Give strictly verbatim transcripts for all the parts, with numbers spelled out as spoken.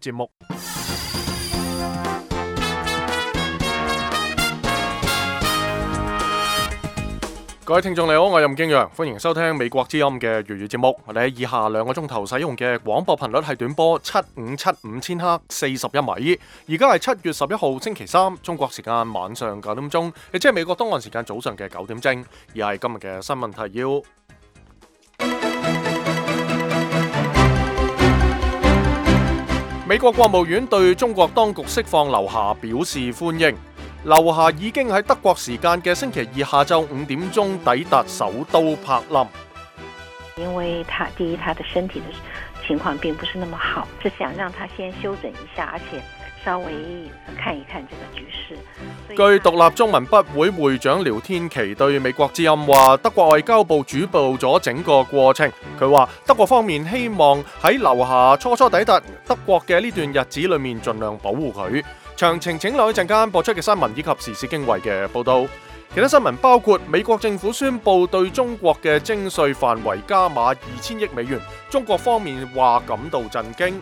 節目。各位聽眾你好，我係任敬陽，歡迎收聽美國之音嘅粵語節目。我哋喺以下兩個鐘頭使用嘅廣播頻率係短波七五七五千赫四十一米。而家係七月十一號星期三，中國時間晚上九點鐘，亦即係美國東岸時間早上嘅九點正。而係今日嘅新聞提要。美國國務院對中國當局釋放劉霞表示歡迎。劉霞已經喺德國時間嘅星期二下晝五點鐘抵達首都柏林。因為他第一，他的身體的情況並不是那麼好，是想讓他先休整一下，而且稍微看一看這個局勢。據獨立中文筆會會長廖天琪對美國之音話，德國外交部主導咗整個過程。佢話德國方面希望喺劉霞初初抵達德國嘅呢段日子裏面盡量保護佢。詳情請留意陣間播出嘅新聞以及時事經緯嘅報道。其他新聞包括美國政府宣布對中國嘅徵稅範圍加碼二千億美元，中國方面話感到震驚。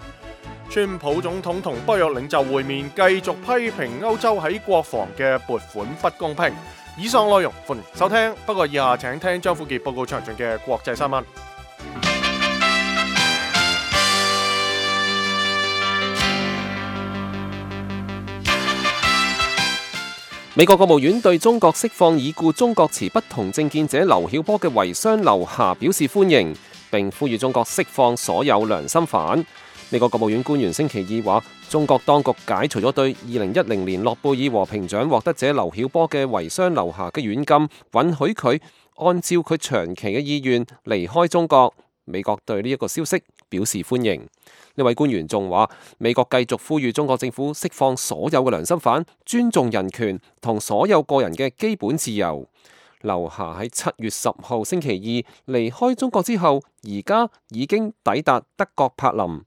川普總統同北約領袖會面，繼續批評歐洲喺國防嘅撥款不公平。以上內容歡迎收聽，不過以下請聽張富傑報告詳盡嘅國際新聞。美國國務院對中國釋放已故中國持不同政見者劉曉波嘅遺孀劉霞表示歡迎，並呼籲中國釋放所有良心犯。美國國務院官員星期二話，中國當局解除咗對二零一零年諾貝爾和平獎獲得者劉曉波嘅遺孀劉霞嘅軟禁，允許佢按照佢長期嘅意願離開中國。美國對呢一個消息表示歡迎。呢位官員仲話，美國繼續呼籲中國政府釋放所有嘅良心犯，尊重人權同所有個人嘅基本自由。劉霞喺七月十號星期二離開中國之後，而家已經抵達德國柏林。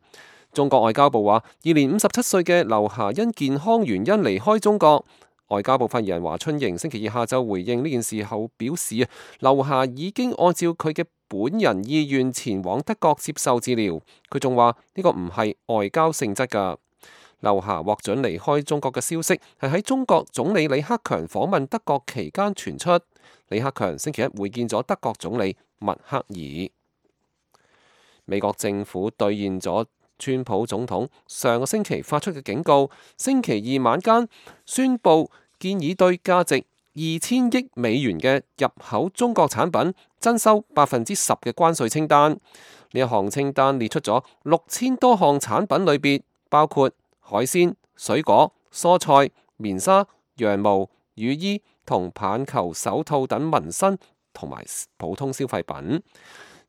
中國外交部話，現年五十七歲嘅劉霞因健康原因離開中國。外交部發言人華春瑩星期二下晝回應呢件事後表示，啊，劉霞已經按照佢嘅本人意願前往德國接受治療。佢仲話呢個唔係外交性質㗎。劉霞獲准離開中國嘅消息係喺中國總理李克強訪問德國期間傳出。李克強星期一會見咗德國總理默克爾。美國政府兌現咗川普總統上個星期發出嘅警告，星期二晚間宣布建議對價值二千億美元嘅入口中國產品徵收百分之十嘅關稅清單。呢一項清單列出咗六千多項產品類別，包括海鮮、水果、蔬菜、棉紗、羊毛、雨衣同棒球手套等民生同埋普通消費品。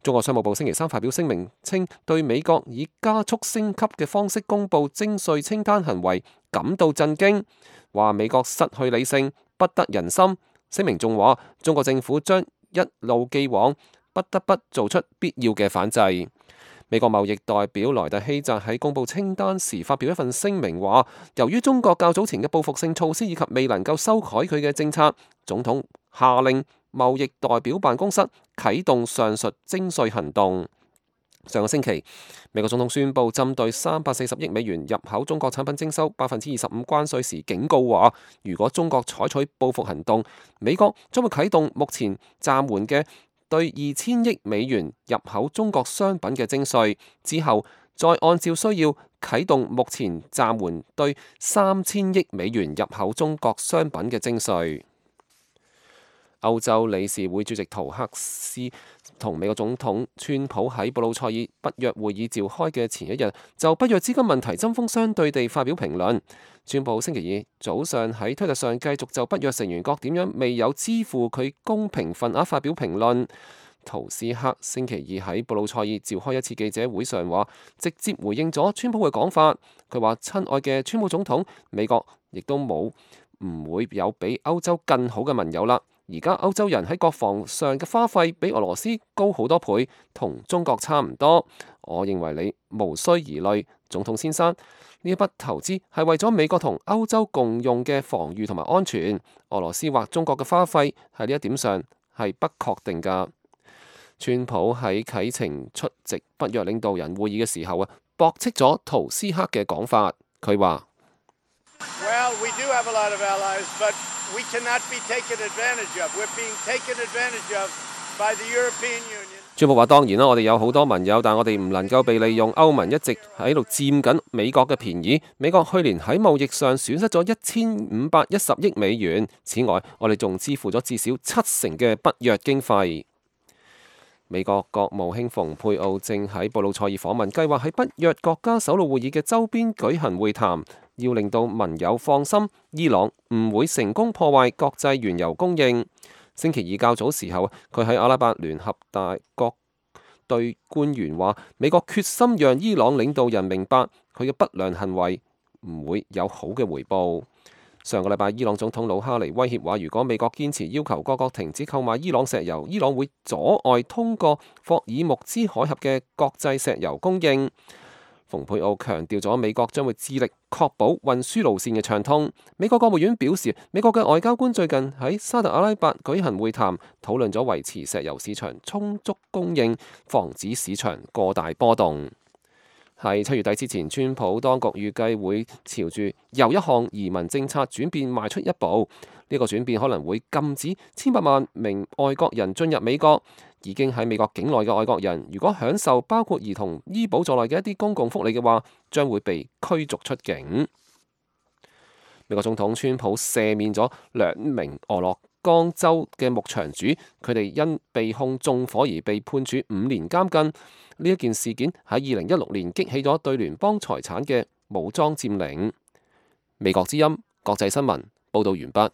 中國商務部星期三發表聲明稱，對美國以加速升級嘅方式公布徵稅清單行為感到震驚，話美國失去理性，不得人心。聲明仲話，中國政府將一路既往，不得不做出必要嘅反制。美國貿易代表萊特希澤喺公布清單時發表一份聲明話，由於中國較早前嘅報復性措施以及未能夠修改佢嘅政策，總統下令貿易代表辦公室啟動上述徵稅行動。上個星期，美國總統宣布針對三百四十億美元入口中國產品徵收百分之二十五關稅時，警告話，如果中國採取報復行動，美國將會啟動目前暫緩嘅對二千億美元入口中國商品嘅徵稅，之後再按照需要啟動目前暫緩對三千億美元入口中國商品嘅徵稅。歐洲理事會主席圖克斯同美國總統川普喺布魯塞爾北約會議召開嘅前一日，就北約資金問題針鋒相對地發表評論。川普星期二早上喺推特上繼續就北約成員國點樣未有支付佢公平份額發表評論。圖斯克星期二喺布魯塞爾召開一次記者會上話，直接回應咗川普嘅講法。佢話：親愛嘅川普總統，美國亦都冇唔會有比歐洲更好嘅盟友啦。而家歐洲人喺國防上嘅花費比俄羅斯高好多倍，同中國差唔多。我認為你無需疑慮，總統先生，呢一筆投資係為咗美國同歐洲共用嘅防禦同埋安全。俄羅斯或中國嘅花費喺呢一點上係不確定㗎。川普喺啟程出席北約領導人會議嘅時候啊，駁斥咗圖斯克嘅講法。佢話：Well, we do have a lot of allies, but we cannot be taken advantage of. We're being taken advantage of by the European Union. 川普話：當然啦，我哋有好多盟友，但我哋唔能夠被利用。歐盟一直喺度佔緊美國嘅便宜。美國去年喺貿易上損失咗一千五百一十億美元。此外，我哋仲支付咗至少七成嘅北約經費。美國國務卿蓬佩奧正喺布魯塞爾訪問，計劃喺北約國家首腦會議嘅周邊舉行會談，要令到盟友放心，伊朗唔會成功破壞國際原油供應。星期二較早時候，佢喺阿拉伯聯合大國對官員話：美國決心讓伊朗領導人明白佢嘅不良行為唔會有好嘅回報。上個禮拜，伊朗總統魯哈尼威脅話：如果美國堅持要求各國停止購買伊朗石油，伊朗會阻礙通過霍爾木茲海峽嘅國際石油供應。蓬佩奧強調咗美國將會致力確保運輸路線嘅暢通。美國國務院表示，美國嘅外交官最近喺沙特阿拉伯舉行會談，討論咗維持石油市場充足供應，防止市場過大波動。喺七月底之前，川普當局預計會朝住又一項移民政策轉變邁出一步。呢個轉變可能會禁止千百萬名外國人進入美國。已經喺美國境內嘅外國人，如果享受包括兒童醫保在內嘅一啲公共福利嘅話，將會被驅逐出境。美國總統川普赦免咗兩名俄勒岡州嘅牧場主，佢哋因被控縱火而被判處五年監禁。呢一件事件喺二零一六年激起咗對聯邦財產嘅武裝佔領。美國之音國際新聞報導完畢。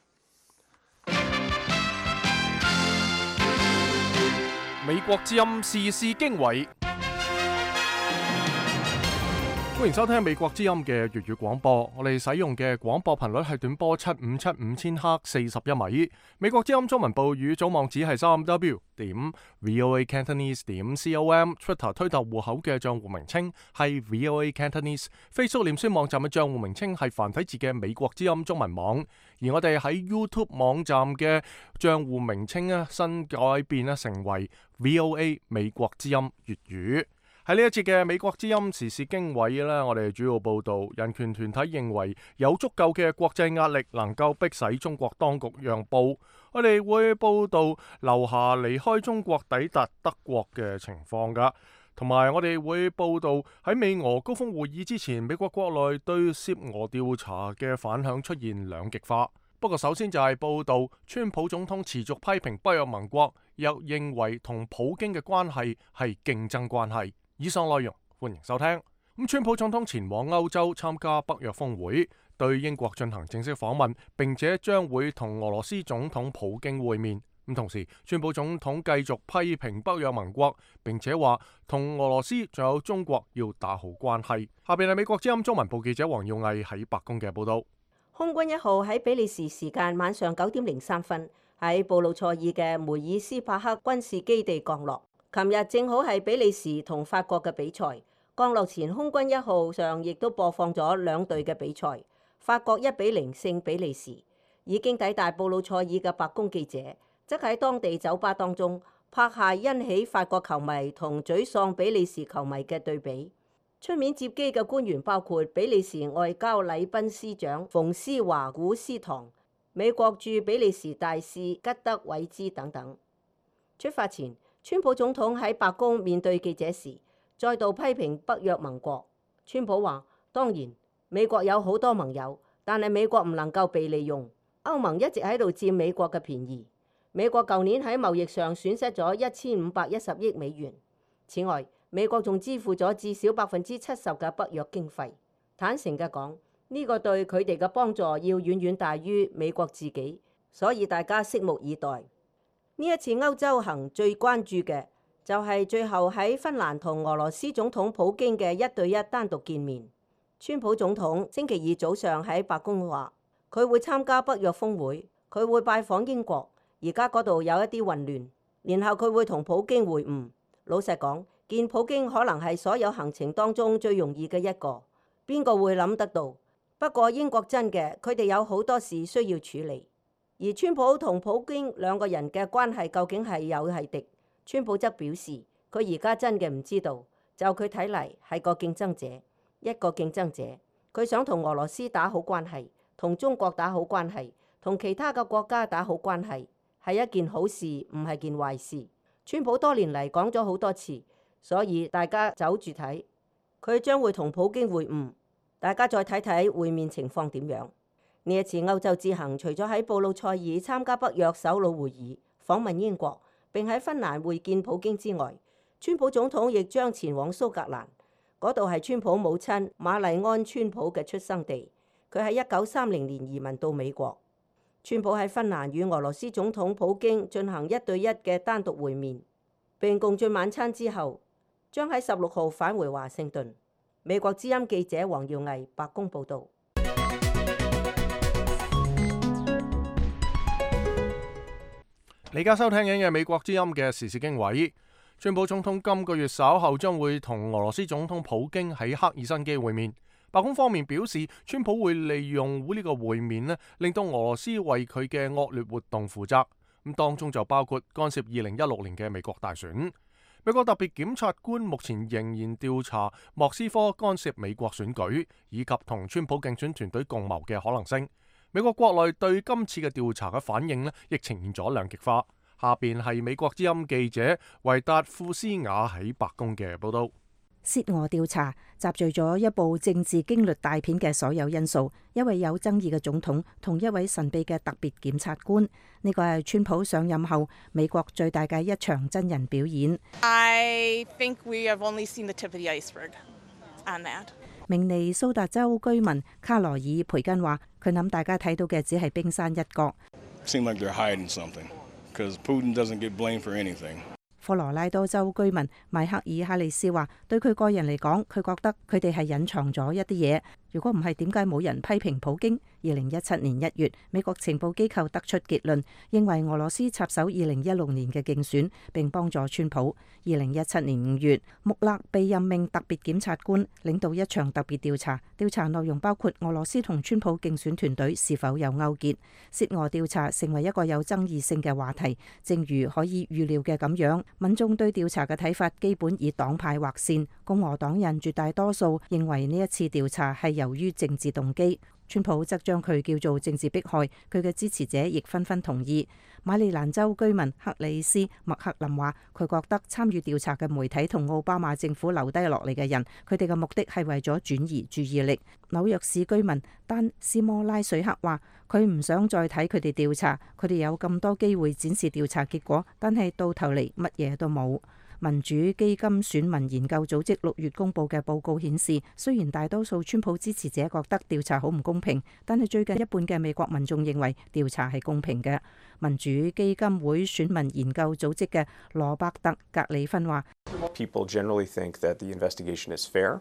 美國之音時事經緯，歡迎收聽美國之音嘅粵語廣播。我哋使用嘅廣播頻率係短波七五七五千赫四十一米。美國之音中文部語組網址係三 w 點 voa cantonese 點 com。Twitter 推特戶口嘅賬戶名稱係 voa cantonese。Facebook 臉書網站嘅賬戶名稱係繁體字嘅美國之音中文網。而我哋喺 YouTube 網站嘅賬戶名稱咧新改變咧成為 voa 美國之音粵語。喺呢一節嘅美國之音時事經緯呢，我哋主要報道人權團體認為有足夠嘅國際壓力能夠迫使中國當局讓步。我哋會報道劉霞離開中國抵達德國嘅情況噶，同埋我哋會報道喺美俄高峰會議之前，美國國內對涉俄調查嘅反響出現兩極化。不過首先就係報道川普總統持續批評北約盟國，又認為同普京嘅關係係競爭關係。以上內容歡迎收聽。咁川普總統前往歐洲參加北約峰會，對英國進行正式訪問，並且將會同俄羅斯總統普京會面。咁同時，川普總統繼續批評北約盟國，並且話同俄羅斯仲有中國要打好關係。下邊係美國之音中文部記者黃耀毅喺白宮嘅報道。空軍一號喺比利時時間晚上九點零三分喺布魯塞爾嘅梅爾斯帕克軍事基地降落。琴日正好係比利時同法國嘅比賽，降落前空軍一號上亦都播放咗兩隊嘅比賽。法國一比零勝比利時。已經抵達布魯塞爾嘅白宮記者，則喺當地酒吧當中拍下欣喜法國球迷同沮喪比利時球迷嘅對比。出面接機嘅官員包括比利時外交禮賓司長馮斯華古斯唐、美國駐比利時大使吉德韋茲等等。出發前，川普總統喺白宮面對記者時，再度批評北約盟國。川普話：當然，美國有好多盟友，但係美國唔能夠被利用。歐盟一直喺度佔美國嘅便宜。美國舊年喺貿易上損失咗一千五百一十億美元。此外，美國仲支付咗至少百分之七十嘅北約經費。坦誠嘅講，呢個對佢哋嘅幫助要遠遠大於美國自己，所以大家拭目以待。呢一次歐洲行最關注嘅就係最後喺芬蘭同俄羅斯總統普京嘅一對一單獨見面。川普總統星期二早上喺白宮話，佢會參加北約峰會，佢會拜訪英國，而家嗰度有一啲混亂，然後佢會同普京會晤。老實講，見普京可能係所有行程當中最容易嘅一個，邊個會諗得到？不過英國真嘅，佢哋有好多事需要處理。而川普同普京兩個人嘅關係究竟係友係敵？川普則表示，佢而家真嘅唔知道，就佢睇嚟係個競爭者，一個競爭者。佢想同俄羅斯打好關係，同中國打好關係，同其他嘅國家打好關係，係一件好事，唔係件壞事。川普多年嚟講咗好多次，所以大家走住睇，佢將會同普京會晤。大家再睇睇會面情況點樣。呢一次歐洲之行，除咗喺布魯塞爾參加北約首腦會議、訪問英國，並喺芬蘭會見普京之外，川普總統亦將前往蘇格蘭，嗰度係川普母親瑪麗安川普嘅出生地。佢喺一九三零年移民到美國。川普喺芬蘭與俄羅斯總統普京進行一對一嘅單獨會面，並共進晚餐之後，將喺十六號返回華盛頓。美國之音記者黃耀毅白宮報導。你而家收聽緊嘅美國之音嘅時事經緯，川普總統今個月稍後將會同俄羅斯總統普京喺赫爾辛基會面。白宮方面表示，川普會利用呢個會面呢，令到俄羅斯為佢嘅惡劣活動負責。咁當中就包括干涉二零一六年嘅美國大選。美國特別檢察官目前仍然調查莫斯科干涉美國選舉，以及同川普競選團隊共謀嘅可能性。美國國內對今次嘅調查嘅反應呢，亦呈現咗兩極化。下邊係美國之音記者維達富斯雅喺白宮嘅報道。涉俄調查集聚咗一部政治驚慄大片嘅所有因素，一位有爭議嘅總統同一位神秘嘅特別檢察官，呢個係川普上任後美國最大嘅一場真人表演。I think we have only seen the tip of the iceberg on that. 明尼蘇達州居民卡羅爾培根話：佢諗大家睇到嘅只係冰山一角。Seem like they're hiding something, because Putin doesn't get blamed for anything. 科羅拉多州居民邁克爾哈里斯話：對佢個人嚟講，佢覺得佢哋係隱藏咗一啲嘢。如果唔係，點解冇人批評普京？二零一七年一月，美國情報機構得出結論，認為俄羅斯插手二零一六年嘅競選，並幫助川普。二零一七年五月，穆勒被任命特別檢察官，領導一場特別調查，調查內容包括俄羅斯同川普競選團隊是否有勾結。涉俄調查成為一個有爭議性嘅話題，正如可以預料嘅咁樣，民眾對調查嘅睇法基本以黨派劃線。共和黨人絕大多數認為呢一次調查係由於政治動機，川普則將佢叫做政治迫害，佢嘅支持者亦紛紛同意。馬里蘭州居民克里斯麥克林話：佢覺得參與調查嘅媒體同奧巴馬政府留低落嚟嘅人，佢哋嘅目的係為咗轉移注意力。紐約市居民丹斯摩拉水克話：佢唔想再睇佢哋調查，佢哋有咁多機會展示調查結果，但係到頭嚟乜嘢都冇。民主基金選民研究組織六月公佈嘅報告顯示，雖然大多數川普支持者覺得調查好唔公平，但係最近一半嘅美國民眾認為調查係公平嘅。民主基金會選民研究組織嘅羅伯特格里芬話：People generally think that the investigation is fair.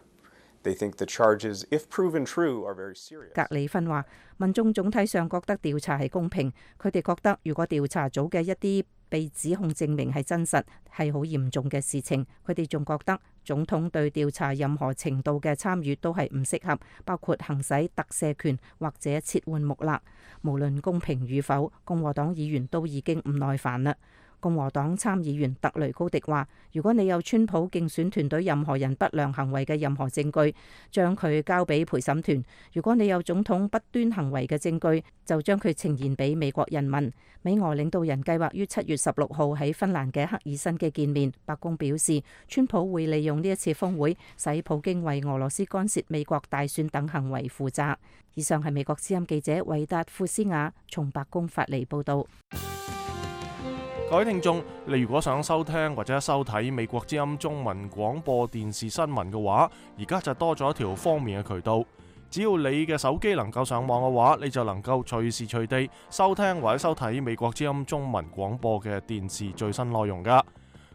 They think the charges, if proven true, are very serious. 格里芬話：民眾總體上覺得調查係公平，佢哋覺得如果調查組嘅一啲被指控證明係真實，係好嚴重嘅事情。佢哋仲覺得總統對調查任何程度嘅參與都係唔適合，包括行使特赦權或者撤換穆勒。無論公平與否，共和黨議員都已經唔耐煩啦。共和黨參議員特雷高迪話：如果你有川普競選團隊任何人不良行為嘅任何證據，將佢交俾陪審團；如果你有總統不端行為嘅證據，就將佢呈現俾美國人民。美俄領導人計劃於七月十六號喺芬蘭嘅赫爾辛基見面。白宮表示，川普會利用呢一次峰會，使普京為俄羅斯干涉美國大選等行為負責。以上係美國之音記者維達富斯雅從白宮發嚟報導。各位聽眾，你如果想收聽或者收睇美國之音中文廣播電視新聞嘅話，而家就多咗一條方便嘅渠道。只要你嘅手機能夠上網嘅話，你就能夠隨時隨地收聽或者收睇美國之音中文廣播嘅電視最新內容噶。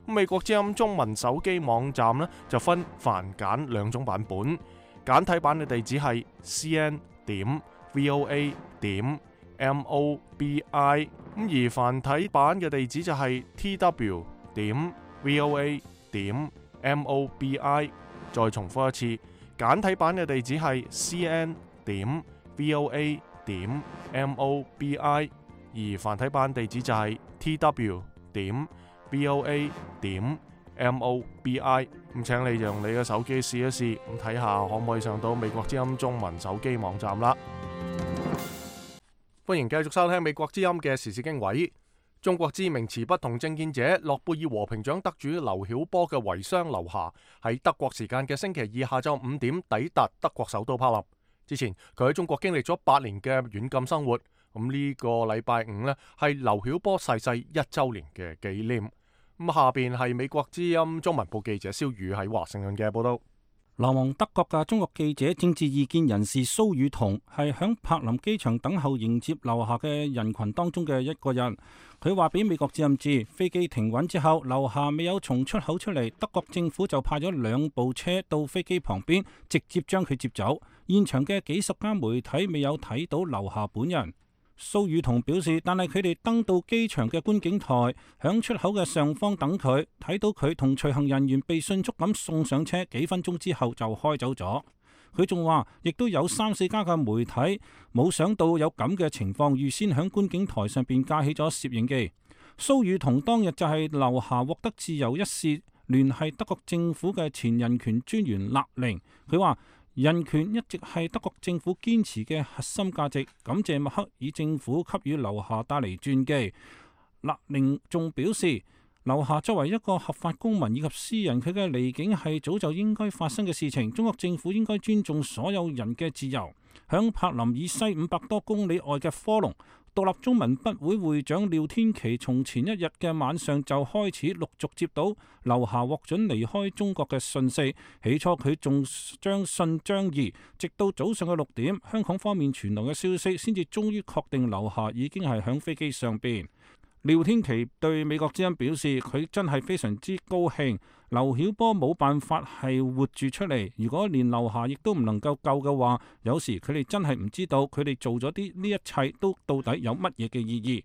美國之音中文手機網站呢，就分繁簡兩種版本，簡體版嘅地址係 c n 點 v o a 點 m o b i。咁而繁體版嘅地址就係 t w 點 v o a 點 m o b i。再重複一次，簡體版嘅地址係 c n 點 v o a 點 m o b i， 而繁體版地址就係 t w 點 v o a 點 m o b i。咁請你用你嘅手機試一試，咁睇下可唔可以上到美國之音中文手機網站啦。歡迎繼續收聽美國之音嘅時事經緯。中國知名持不同政見者、諾貝爾和平獎得主劉曉波嘅遺孀劉霞喺德國時間嘅星期二下晝五點抵達德國首都柏林。之前佢喺中國經歷咗八年嘅軟禁生活，咁呢個禮拜五呢，係劉曉波逝世一週年嘅紀念。咁下邊係美國之音中文部記者蕭宇喺華盛頓嘅報道。流亡德國嘅中國記者、政治意見人士蘇宇彤係響柏林機場等候迎接劉霞嘅人群當中嘅一個人。佢話俾美國之音知，飛機停穩之後，劉霞未有從出口出嚟，德國政府就派咗兩部車到飛機旁邊，直接將佢接走。現場嘅幾十間媒體未有睇到劉霞本人。蘇宇彤表示，但係佢哋登到機場嘅觀景台，響出口嘅上方等佢，睇到佢同隨行人員被迅速咁送上車，幾分鐘之後就開走咗。佢仲話，亦都有三四家嘅媒體冇想到有咁嘅情況，預先響觀景台上邊架起咗攝影機。蘇宇彤當日就係劉霞獲得自由一事聯繫德國政府嘅前人權專員勒寧，佢話，人權一直係德國政府堅持嘅核心價值，感謝默克爾政府給予劉霞帶嚟傳記。勒寧仲表示，劉霞作為一個合法公民以及私人，佢嘅離境係早就應該發生嘅事情。中國政府應該尊重所有人嘅自由。響柏林以西五百多公里外嘅科隆，獨立中文筆會會長廖天琪從前一日嘅晚上就開始陸續接到劉霞獲准離開中國嘅訊息。起初佢仲將信張疑，直到早上嘅六點，香港方面傳來嘅消息，先至終於確定劉霞已經係響飛機上邊。廖天琪對美國之音表示，佢真係非常之高興，劉曉波冇辦法係活住出嚟。如果連劉霞亦都唔能夠救嘅話，有時佢哋真係唔知道佢哋做咗啲呢一切都到底有乜嘢嘅意義。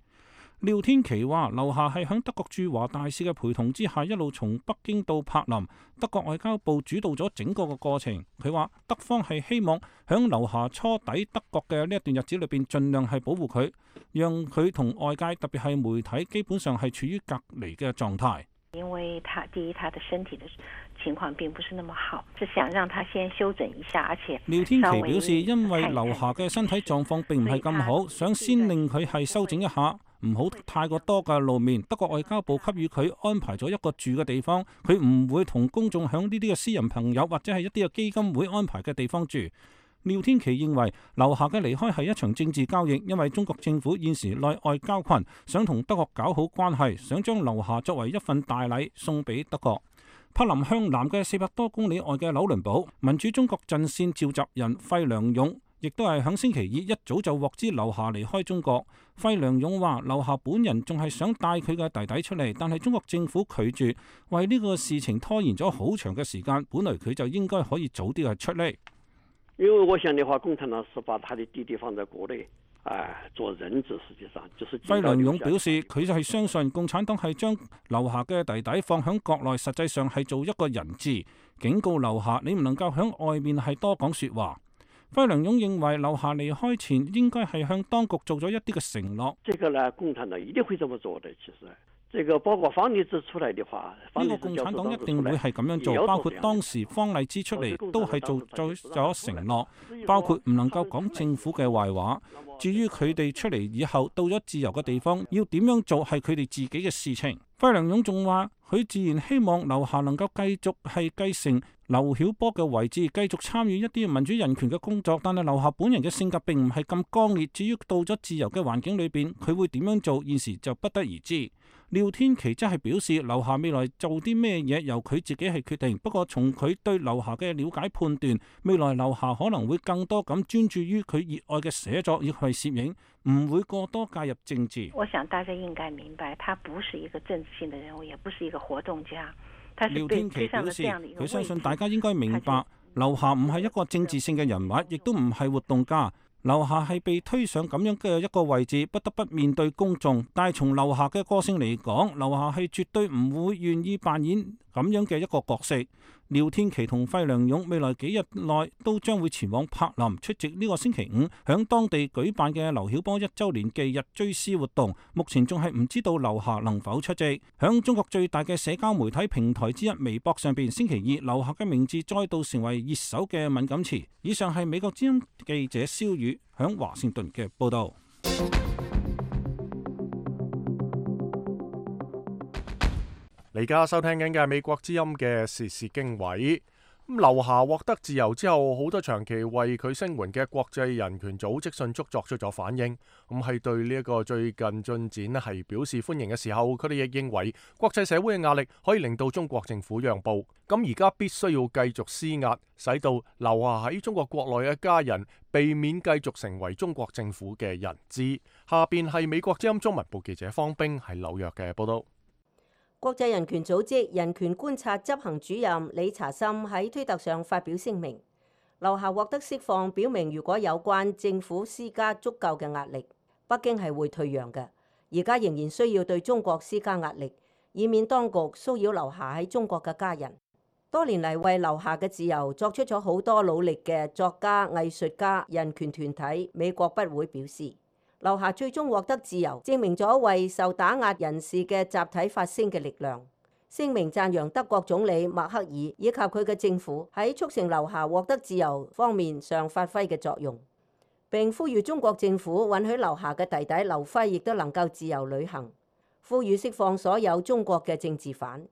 廖天琪話，劉霞係響德國駐華大使嘅陪同之下，一路從北京到柏林，德國外交部主導咗整個嘅過程。佢話德方係希望響劉霞初抵德國嘅呢一段日子裏邊，盡量係保護佢，讓佢同外界特別係媒體基本上係處於隔離嘅狀態。因為他第一，他的身體的情況並不是那麼好，是想讓他先休整一下，而且廖天琪表示，因為劉霞嘅身體狀況並唔係咁好，想先令佢係休整一下，唔好太過多嘅露面。德國外交部給予佢安排咗一個住嘅地方，佢唔會同公眾響呢啲嘅私人朋友或者係一啲嘅基金會安排嘅地方住。廖天琪認為劉霞嘅離開係一場政治交易，因為中國政府現時內外交困，想同德國搞好關係，想將劉霞作為一份大禮送俾德國。柏林向南嘅四百多公里外嘅紐倫堡，民主中國陣線召集人費良勇亦都係響星期二一早就獲知劉霞離開中國。費良勇話，劉霞本人仲係想帶佢嘅弟弟出嚟，但係中國政府拒絕，為呢個事情拖延咗好長嘅時間。本來佢就應該可以早啲係出嚟。因為我想的話，共產黨是把他的弟弟放在國內，哎，做人質，實際上就是。費良勇表示，佢就係相信共產黨係將劉霞嘅弟弟放響國內，實際上係做一個人質，警告劉霞你唔能夠響外面係多講說話。費良勇認為劉霞離開前應該係向當局做咗一啲嘅承諾。這個呢，共產黨一定會這麼做的，其實。這個包括方勵之出來的話，呢個共產黨一定會係咁樣做，包括當時方勵之出嚟都係做做咗承諾，包括唔能夠講政府嘅壞話。至於佢哋出嚟以後到咗自由嘅地方，要點樣做係佢哋自己嘅事情。費良勇仲話，佢自然希望劉霞能夠繼續係繼承劉曉波嘅位置，繼續參與一啲民主人權嘅工作。但係劉霞本人嘅性格並唔係咁剛烈，至於到咗自由嘅環境裏邊，佢會點樣做，現時就不得而知。廖天琪則係表示，劉霞未來做啲咩嘢由佢自己係決定。不過從佢對劉霞嘅了解判斷，未來劉霞可能會更多咁專注於佢熱愛嘅寫作以及攝影，唔會過多介入政治。我想大家應該明白，他不是一個政治性的人物，也不是一個活動家。廖天琪表示，佢相信大家應該明白，劉霞唔係一個政治性嘅人物，亦都唔係活動家。劉霞係被推上咁樣嘅一個位置，不得不面對公眾。但係從劉霞嘅個性嚟講，劉霞係絕對唔會願意扮演咁樣嘅一個角色。廖天琦同費良勇未來幾日內都將會前往柏林出席呢個星期五響當地舉辦嘅劉曉波一週年忌日追思活動。目前仲係唔知道劉霞能否出席。響中國最大嘅社交媒體平台之一微博上邊，星期二劉霞嘅名字再度成為熱搜嘅敏感詞。以上係美國之音記者蕭宇響華盛頓嘅報道。你而家收聽緊嘅係美國之音嘅時事經緯。咁劉霞獲得自由之後，好多長期為佢聲援嘅國際人權組織迅速作出咗反應。咁係對呢一個最近進展咧係表示歡迎嘅時候，佢哋亦認為國際社會嘅壓力可以令到中國政府讓步。咁而家必須要繼續施壓，使到劉霞喺中國國內嘅家人避免繼續成為中國政府嘅人質。下邊係美國之音中文部記者方冰喺紐約嘅報道。國際人權組織人權觀察執行主任理查森喺推特上發表聲明，劉霞獲得釋放，表明如果有關政府施加足夠嘅壓力，北京係會退讓嘅。而家仍然需要對中國施加壓力，以免當局騷擾劉霞喺中國嘅家人。多年嚟為劉霞嘅自由作出咗好多努力嘅作家、藝術家、人權團體美國不會表示，劉霞最終獲得自由，證明咗為受打壓人士嘅集體發聲嘅力量。聲明讚揚德國總理默克爾以及佢嘅政府喺促成劉霞獲得自由方面上發揮嘅作用，並呼籲中國政府允許劉霞嘅弟弟劉輝亦都能夠自由旅行，呼籲釋放所有中國嘅政治犯。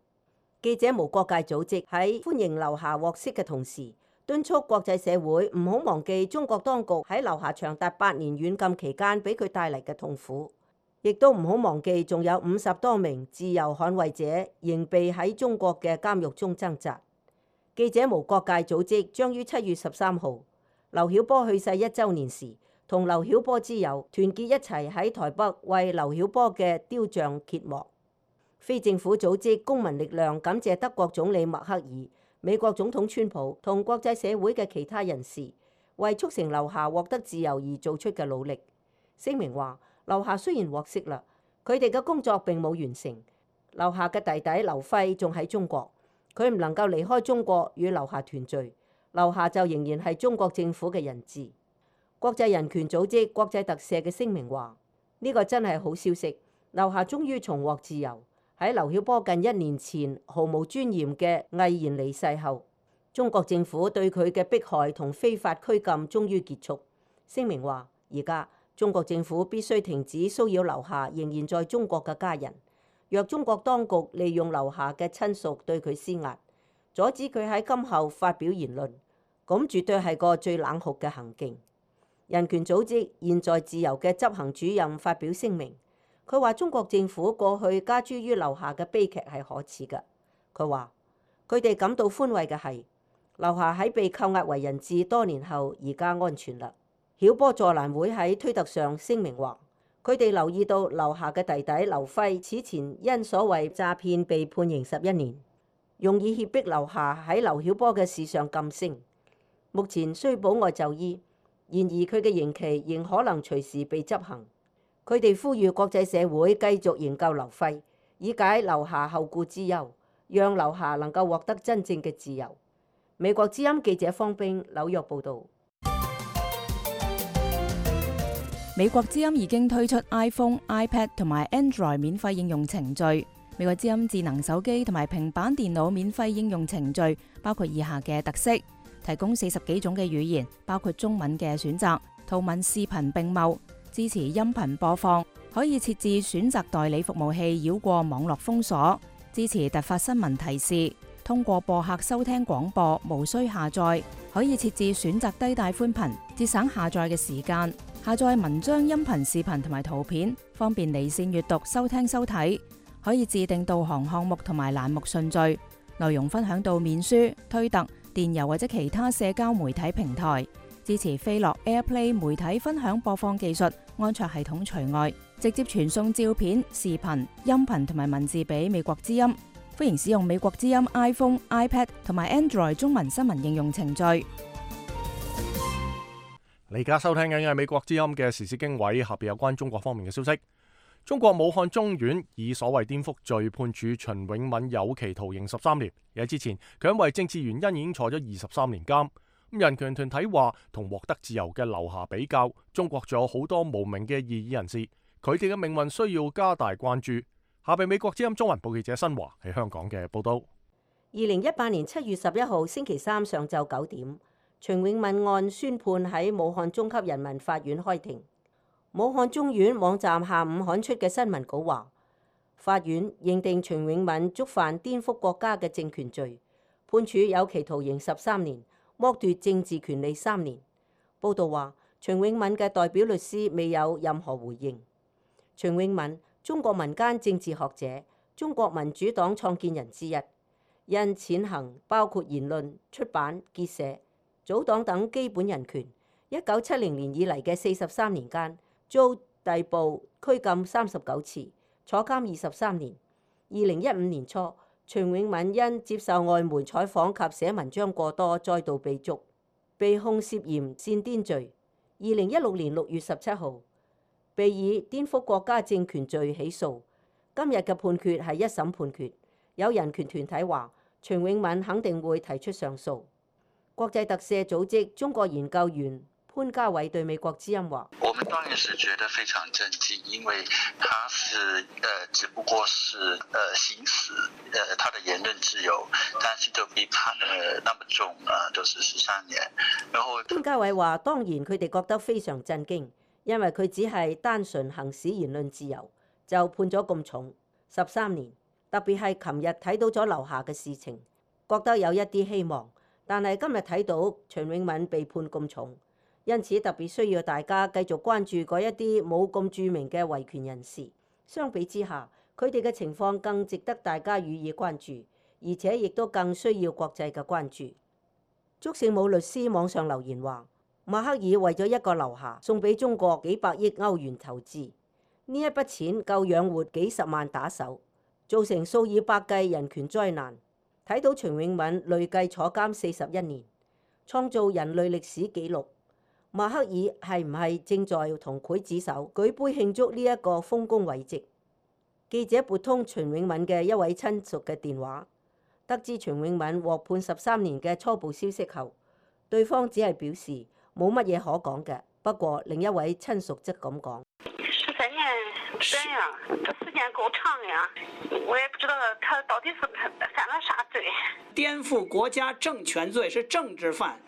記者無國界組織喺歡迎劉霞獲釋嘅同時，敦促國際社會唔好忘記中國當局喺劉霞長達八年軟禁期間俾佢帶嚟嘅痛苦，亦都唔好忘記仲有五十多名自由捍衛者仍被喺中國嘅監獄中掙扎。記者無國界組織將於七月十三號劉曉波去世一週年時，同劉曉波之友團結一齊喺台北為劉曉波嘅雕像揭幕。非政府組織公民力量感謝德國總理默克爾、美國總統川普同國際社會嘅其他人士為促成劉霞獲得自由而做出嘅努力。聲明話，劉霞雖然獲釋啦，佢哋嘅工作並冇完成。劉霞嘅弟弟劉輝仲喺中國，佢唔能夠離開中國與劉霞團聚，劉霞就仍然係中國政府嘅人質。國際人權組織國際特赦嘅聲明話，呢個真係好消息，劉霞終於重獲自由。喺劉曉波近一年前毫無尊嚴嘅毅然離世後，中國政府對佢嘅迫害同非法拘禁終於結束。聲明話，而家中國政府必須停止騷擾劉霞仍然在中國嘅家人。若中國當局利用劉霞嘅親屬對佢施壓，阻止佢喺今後發表言論，咁絕對係個最冷酷嘅行徑。人權組織現在自由嘅執行主任發表聲明。佢話中國政府過去加諸於劉霞嘅悲劇係可恥嘅。佢話佢哋感到歡慰嘅係劉霞喺被扣押為人質多年後而家安全啦。曉波助瀾會喺推特上聲明話，佢哋留意到劉霞嘅弟弟劉輝此前因所謂詐騙被判刑十一年，用以脅迫劉霞喺劉曉波嘅事上噤聲。目前雖保外就醫，然而佢嘅刑期仍可能隨時被執行。佢哋呼籲國際社會繼續營救劉輝，以解劉霞後顧之憂，讓劉霞能夠獲得真正嘅自由。美國之音記者方冰紐約報導。美國之音已經推出 iPhone、iPad 同埋 Android 免費應用程序。美國之音智能手機同埋平板電腦免費應用程序包括以下嘅特色：提供四十幾種嘅語言，包括中文嘅選擇，圖文視頻並茂。支持音頻播放，可以設置選擇代理服務器繞過網絡封鎖，支持突發新聞提示，通過播客收聽廣播，無需下載，可以設置選擇低帶寬頻，節省下載嘅時間，下載文章、音頻、視頻同埋圖片，方便離線閱讀、收聽收睇，可以自定導航項目同埋欄目順序，內容分享到面書、推特、電郵或者其他社交媒體平台。支持飛樂 AirPlay 媒體分享播放技術，安卓系統除外，直接傳送照片、視頻、音頻同埋文字俾美國之音。歡迎使用美國之音 iPhone、iPad 同埋 Android 中文新聞應用程序。你而家收聽緊嘅係美國之音嘅時事經緯，下邊有關中國方面嘅消息。中國武漢中院以所謂顛覆罪判處秦永敏有期徒刑十三年。而喺之前，佢因為政治原因已經坐咗二十三年監。人權團體話，同獲得自由嘅劉霞比較，中國仲有好多無名嘅異議人士，佢哋嘅命運需要加大關注。下邊美國之音中文部記者新華喺香港嘅報道。二零一八年七月十一號星期三上晝九點，秦永敏案宣判喺武漢中級人民法院開庭。武漢中院網站下午刊出嘅新聞稿話，法院認定秦永敏觸犯顛覆國家嘅政權罪，判處有期徒刑十三年，剝奪政治權利三年。報道話，秦永敏嘅代表律師未有任何回應。秦永敏，中國民間政治學者，中國民主黨創建人之一，因踐行包括言論、出版、結社、組黨等基本人權，一九七零年以嚟嘅四十三年間，遭逮捕拘禁三十九次，坐監二十三年。二零一五年初，秦永敏因接受外媒採訪及寫文章過多，再度被捉，被控涉嫌煽顛罪。二零一六年六月十七號，被以顛覆國家政權罪起訴。今日嘅判決係一審判決。有人權團體話，秦永敏肯定會提出上訴。國際特赦組織中國研究員潘家偉對美國之音話：我們當然是覺得非常震驚，因為他是呃，只不過是呃行使呃他的言論自由，但是就被判了那麼重啊，都是十三年。然後潘家偉話：當然佢哋覺得非常震驚，因為佢只係單純行使言論自由，就判咗咁重十三年。特別係琴日睇到咗劉霞嘅事情，覺得有一啲希望。但係今日睇到秦永敏被判咁重，因此特別需要大家繼續關注嗰一啲冇咁著名嘅維權人士。相比之下，佢哋嘅情況更值得大家予以關注，而且亦都更需要國際嘅關注。祝聖武律師網上留言話：默克爾為咗一個劉霞送俾中國幾百億歐元投資，呢一筆錢夠養活幾十萬打手，造成數以百計人權災難。睇到秦永敏累計坐監四十一年，創造人類歷史紀錄，默克爾係唔係正在同劊子手舉杯慶祝呢一個豐功偉績？記者撥通秦永敏嘅一位親屬嘅電話，得知秦永敏獲判十三年嘅初步消息後，對方只係表示冇乜嘢可講嘅。不過另一位親屬則咁講：十三年短呀，這時間夠長呀，我也不知道他到底是犯了啥罪。顛覆國家政權罪是政治犯。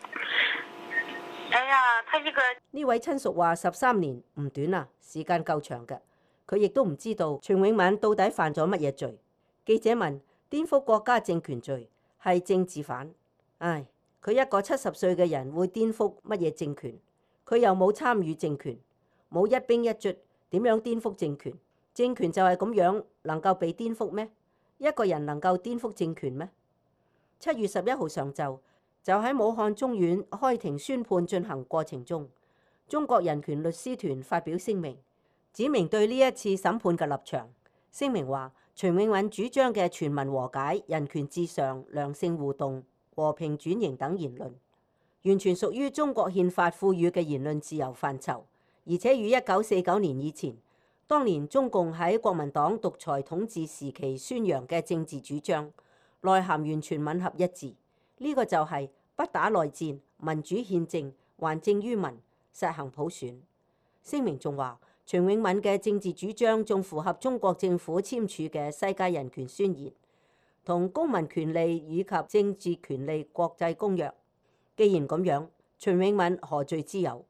哎呀，他一個呢位親屬話十三年唔短啊，時間夠長嘅。佢亦都唔知道秦永敏到底犯咗乜嘢罪。記者問：顛覆國家政權罪係政治犯？唉，佢一個七十歲嘅人會顛覆乜嘢政權？佢又冇參與政權，冇一兵一卒，點樣顛覆政權？政權就係咁樣，能夠被顛覆咩？一個人能夠顛覆政權咩？七月十一號上晝，就喺武漢中院開庭宣判進行過程中，中國人權律師團發表聲明，指明對呢一次審判嘅立場。聲明話，秦永敏主張嘅全民和解、人權至上、良性互動、和平轉型等言論，完全屬於中國憲法賦予嘅言論自由範疇，而且與一九四九年以前當年中共喺國民黨獨裁統治時期宣揚嘅政治主張內涵完全吻合一致。呢、這個就係不打內戰、民主憲政、還政於民、實行普選。聲明仲話，秦永敏嘅政治主張仲符合中國政府簽署嘅世界人權宣言同公民權利以及政治權利國際公約。既然咁樣，秦永敏何罪之有？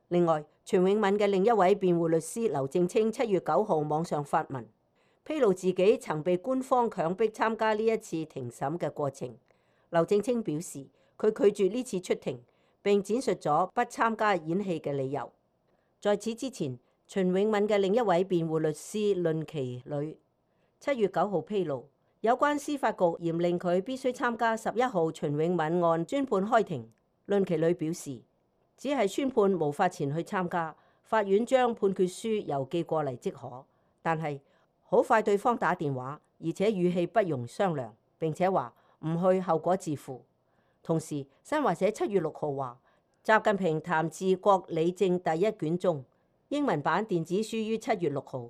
另外，秦永敏嘅另一位辯護律師劉正清七月九號網上發文，披露自己曾被官方強迫參加呢一次庭審嘅過程。劉正清表示，佢拒絕呢次出庭，並展述咗不參加演戲嘅理由。在此之前，秦永敏嘅另一位辯護律師論其呂七月九號披露，有關司法局嚴令佢必須參加十一號秦永敏案專判開庭。論其呂表示，只係宣判無法前去參加，法院將判決書郵寄過嚟即可。但係好快對方打電話，而且語氣不容商量，並且話唔去後果自負。同時，新華社七月六號話，習近平談治國理政第一卷中英文版電子書於七月六號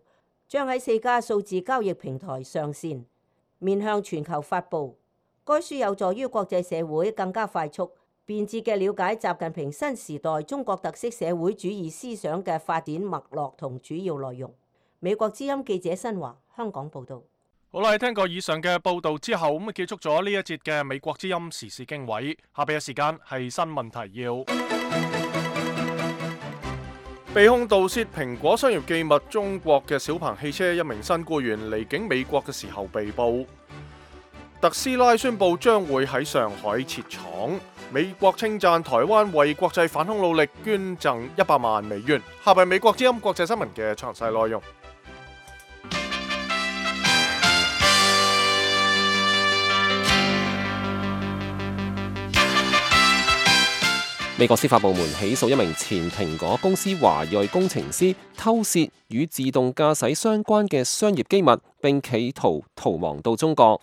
將喺四家數字交易平台上線，面向全球發布。該書有助於國際社會更加快速、便捷嘅了解習近平新時代中國特色社會主義思想嘅發展脈絡同主要內容。美國之音記者新華香港報導。好啦，聽過以上嘅報導之後，咁結束咗呢一節嘅美國之音時事經緯。下邊嘅時間係新聞提要。被控盜竊蘋果商業機密中國嘅小鵬汽車一名新僱員離境美國嘅時候被捕。特斯拉宣布將會喺上海設廠。美國稱讚台灣為國際反恐努力捐贈一百萬美元。下邊美國之音國際新聞嘅詳細內容。美國司法部門起訴一名前蘋果公司華裔工程師偷竊與自動駕駛相關嘅商業機密，並企圖逃亡到中國。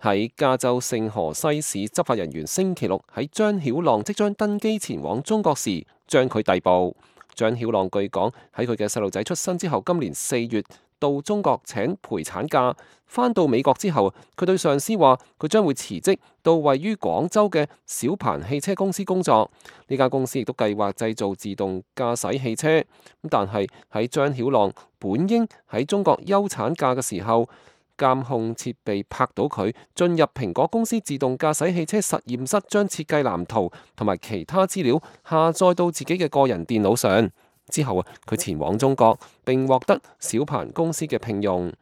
喺加州聖荷西市，執法人員星期六喺張曉浪即將登機前往中國時，將佢逮捕。張曉浪據講喺佢嘅細路仔出生之後，今年四月到中國請陪產假，返到美國之後，佢對上司話佢將會辭職到位於廣州嘅小鵬汽車公司工作。呢間公司亦都計劃製造自動駕駛汽車。但係喺張曉浪本應喺中國休產假嘅時候，監控設備拍到佢進入蘋果公司自動駕駛汽車實驗室，將設計藍圖同埋其他資料下載到自己嘅個人電腦上。之後啊，佢前往中國並獲得小鵬公司嘅聘用。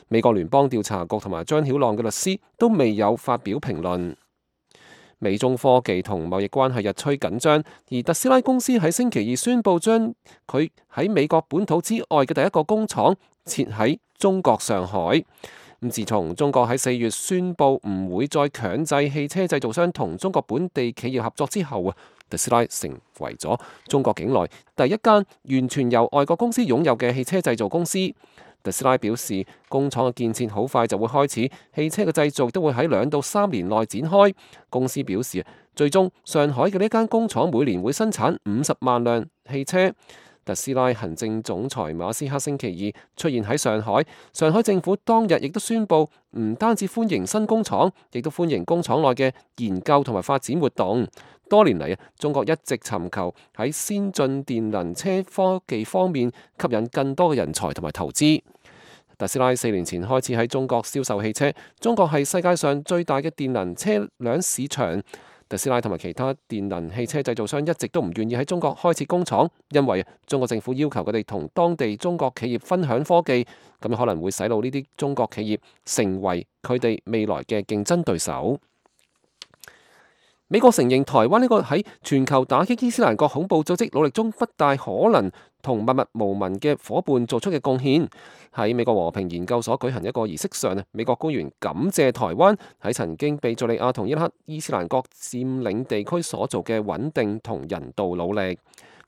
美國聯邦調查局同埋張曉浪嘅律師都未有發表評論。美中科技同貿易關係日趨緊張，而特斯拉公司喺星期二宣布將佢喺美國本土之外嘅第一個工廠設喺中國上海。咁自從中國喺四月宣布唔會再強制汽車製造商同中國本地企業合作之後啊，特斯拉成為咗中國境內第一間完全由外國公司擁有嘅汽車製造公司。特斯拉表示，工廠嘅建設好快就會開始，汽車嘅製造都會喺兩到三年內展開。公司表示，最終上海嘅呢間工廠每年會生產五十萬輛汽車。特斯拉行政總裁馬斯克星期二出現喺上海，上海政府當日亦都宣布，唔單止歡迎新工廠，亦都歡迎工廠內嘅研究同埋發展活動。多年嚟啊，中國一直尋求喺先進電能車科技方面吸引更多嘅人才同埋投資。特斯拉四年前開始喺中國銷售汽車，中國係世界上最大嘅電能車輛市場。特斯拉同埋其他電能汽車製造商一直都唔願意喺中國開設工廠，因為中國政府要求佢哋同當地中國企業分享科技，咁可能會使到呢啲中國企業成為佢哋未來嘅競爭對手。美國承認台灣呢個喺全球打擊伊斯蘭國恐怖組織努力中不大可能同默默無聞嘅夥伴做出嘅貢獻。喺美國和平研究所舉行一個儀式上，美國官員感謝台灣喺曾經被敘利亞同伊拉克伊斯蘭國佔領地區所做嘅穩定同人道努力。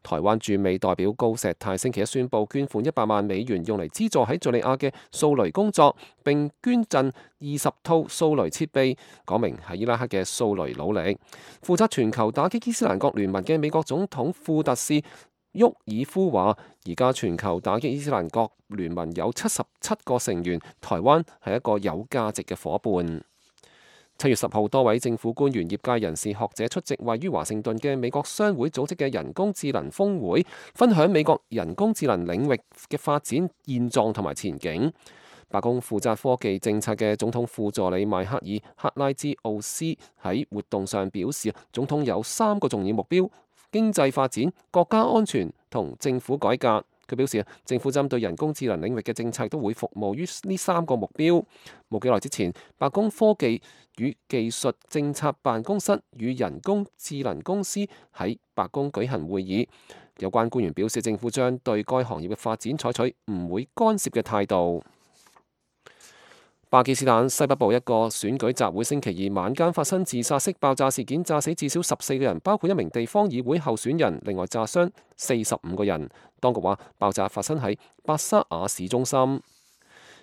台灣駐美代表高石泰星期一宣布捐款一百萬美元，用嚟資助喺敘利亞嘅掃雷工作，並捐贈二十套掃雷設備，講明喺伊拉克嘅掃雷努力。負責全球打擊伊斯蘭國聯盟嘅美國總統庫特士沃爾夫話：而家全球打擊伊斯蘭國聯盟有七十七個成員，台灣係一個有價值嘅夥伴。七月十號，多位政府官員、業界人士、學者出席位於華盛頓嘅美國商會組織嘅人工智能峰會，分享美國人工智能領域嘅發展現狀同埋前景。白宮負責科技政策嘅總統副助理邁克爾·克拉茲奧斯喺活動上表示，總統有三個重要目標：經濟發展、國家安全同政府改革。佢表示，政府針對人工智能領域嘅政策都會服務於呢三個目標。冇幾耐之前，白宮科技與技術政策辦公室與人工智能公司喺白宮舉行會議。有關官員表示，政府將對該行業嘅發展採取唔會干涉嘅態度。巴基斯坦西北部一個選舉集會星期二晚間發生自殺式爆炸事件，炸死至少十四個人，包括一名地方議會候選人，另外炸傷四十五個人。當局話爆炸發生喺巴沙亞市中心。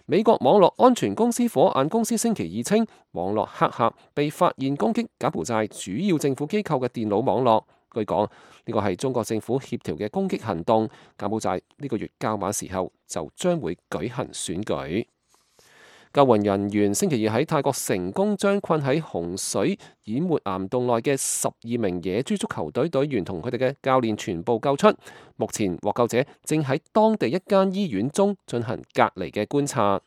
美國網絡安全公司火眼公司星期二稱，網絡黑客被發現攻擊柬埔寨主要政府機構嘅電腦網絡。據講，呢個係中國政府協調嘅攻擊行動。柬埔寨呢個月較晚時候就將會舉行選舉。救援人員星期二喺泰國成功將困喺洪水淹沒岩洞內嘅十二名野豬足球隊隊員同佢哋嘅教練全部救出。目前獲救者正喺當地一間醫院中進行隔離嘅觀察。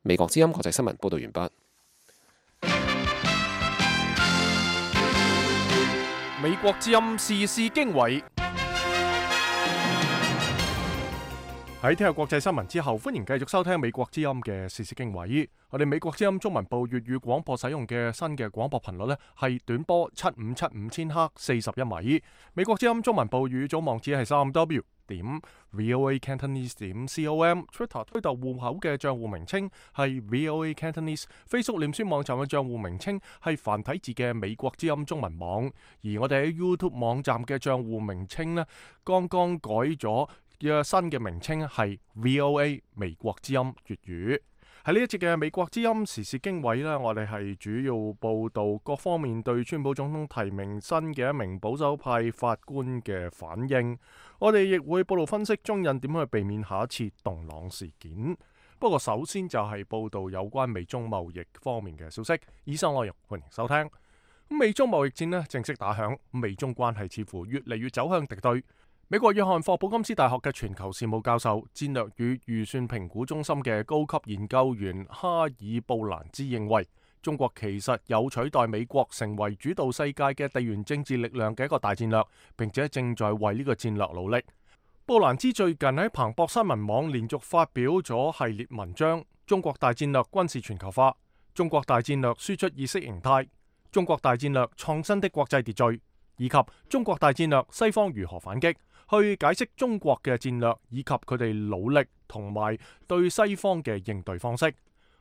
美國之音國際新聞報道完畢。美國之音時事經緯。喺聽日國際新聞之後，歡迎繼續收聽美國之音嘅時事經緯。我哋美國之音中文部粵語廣播使用嘅新嘅廣播頻率呢，係短波七五七五千赫四十一米。美國之音中文部粵語組網址係三 w 點 voa cantonese 點 com。Twitter 推特戶口嘅賬戶名稱係 voa cantonese。Facebook 臉書網站嘅賬戶名稱係繁體字嘅美國之音中文網。而我哋喺 YouTube 網站嘅賬戶名稱呢，剛剛改咗。嘅新嘅名稱係 V O A 美國之音粵語。喺呢一節嘅美國之音時事經緯呢，我哋係主要報導各方面對川普總統提名新嘅一名保守派法官嘅反應。我哋亦會報導分析中印點樣去避免下一次洞朗事件。不過首先就係報導有關美中貿易方面嘅消息。以上內容歡迎收聽。美中貿易戰呢正式打響，美中關係似乎越嚟越走向敵對。美國約翰霍普金斯大學嘅全球事務教授、戰略與預算評估中心嘅高級研究員哈爾布蘭茲認為，中國其實有取代美國成為主導世界嘅地緣政治力量嘅一個大戰略，並且正在為呢個戰略努力。布蘭茲最近喺彭博新聞網連續發表咗系列文章：中國大戰略軍事全球化、中國大戰略輸出意識形態、中國大戰略創新的國際秩序，以及中國大戰略西方如何反擊。去解釋中國嘅戰略以及佢哋努力同埋對西方嘅應對方式。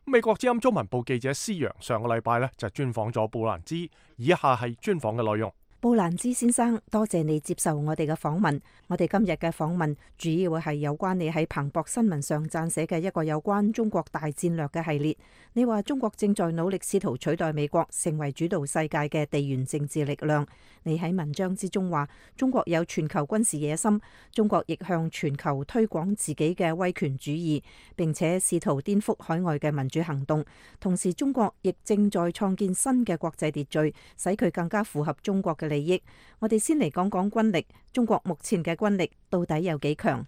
美國之音中文部記者施陽上個禮拜呢就專訪咗布蘭茲，以下係專訪嘅內容。布蘭茲先生，多謝你接受我哋嘅訪問。我哋今日嘅訪問主要係有關你喺彭博新聞上撰寫嘅一個有關中國大戰略嘅系列。你話中國正在努力試圖取代美國成為主導世界嘅地緣政治力量。你喺文章之中話，中國有全球軍事野心，中國亦向全球推廣自己嘅威權主義，並且試圖顛覆海外嘅民主行動。同時，中國亦正在創建新嘅國際秩序，使佢更加符合中國嘅利益。我哋先嚟講講軍力，中國目前嘅軍力到底有幾強？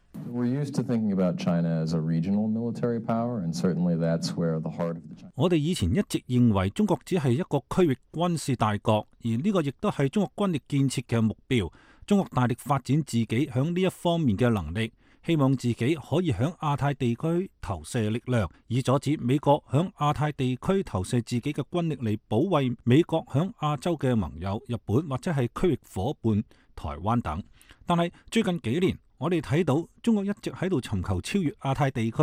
我哋以前一直認為中國只係一個區域軍事大國，而呢個亦都係中國軍力建設嘅目標。中國大力發展自己響呢一方面嘅能力，希望自己可以響亞太地區投射力量，以阻止美國響亞太地區投射自己嘅軍力嚟保衛美國響亞洲嘅盟友日本或者係區域夥伴台灣等。但係最近幾年，我哋睇到中國一直喺度尋求超越亞太地區，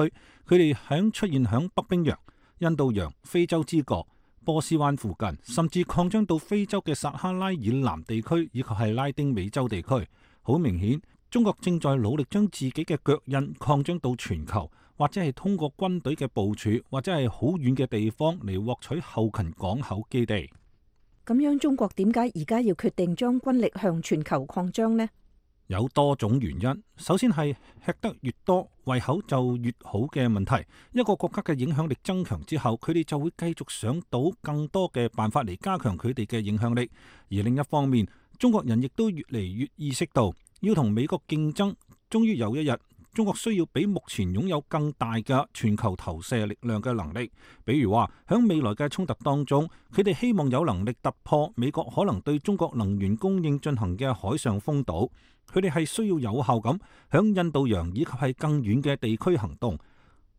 佢哋響出現響北冰洋、印度洋、非洲之角、波斯灣附近，甚至擴張到非洲嘅撒哈拉以南地區以及係拉丁美洲地區。好明顯，中國正在努力將自己嘅腳印擴張到全球，或者係通過軍隊嘅部署，或者係好遠嘅地方嚟獲取後勤港口基地。咁樣中國點解而家要決定將軍力向全球擴張呢？有多種原因。首先係吃得越多，胃口就越好嘅問題。一個國家嘅影響力增強之後，佢哋就會繼續想到更多嘅辦法嚟加強佢哋嘅影響力。而另一方面，中國人亦都越嚟越意識到要同美國競爭，終於有一日，中國需要比目前擁有更大嘅全球投射力量嘅能力。比如話，喺未來嘅衝突當中，佢哋希望有能力突破美國可能對中國能源供應進行嘅海上封堵。佢哋係需要有效咁響印度洋以及係更遠嘅地區行動，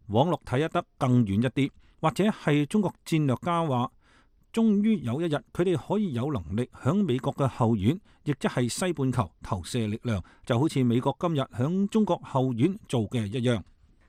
網絡睇得更遠一啲，或者係中國戰略家話，終於有一日佢哋可以有能力響美國嘅後院，亦即係西半球投射力量，就好似美國今日響中國後院做嘅一樣。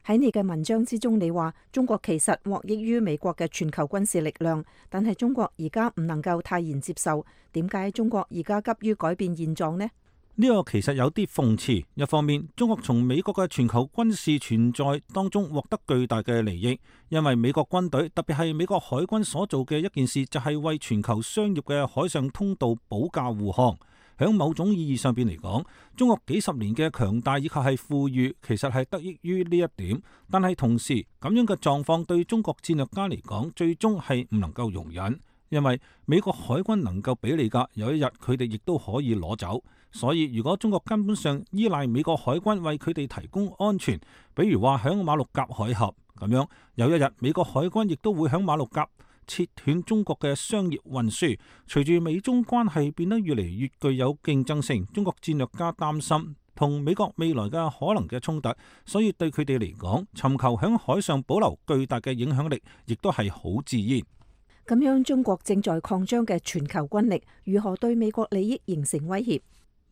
喺你嘅文章之中，你話中國其實獲益於美國嘅全球軍事力量，但係中國而家唔能夠泰然接受。點解中國而家急於改變現狀呢？呢個其實有啲諷刺。一方面，中國從美國嘅全球軍事存在當中獲得巨大嘅利益，因為美國軍隊特別係美國海軍所做嘅一件事，就係為全球商業嘅海上通道保駕護航。響某種意義上邊嚟講，中國幾十年嘅強大以及係富裕，其實係得益於呢一點。但係同時咁樣嘅狀況對中國戰略家嚟講，最終係唔能夠容忍，因為美國海軍能夠俾你㗎，有一日佢哋亦都可以攞走。所以如果中國根本上依賴美國海軍為佢哋提供安全，比如話響馬六甲海峽咁樣，有一日美國海軍亦都會響馬六甲切斷中國嘅商業運輸。隨住美中關係變得越嚟越具有競爭性，中國戰略家擔心同美國未來嘅可能嘅衝突，所以對佢哋嚟講，尋求響海上保留巨大嘅影響力，亦都係好自然。咁樣中國正在擴張嘅全球軍力，如何對美國利益形成威脅？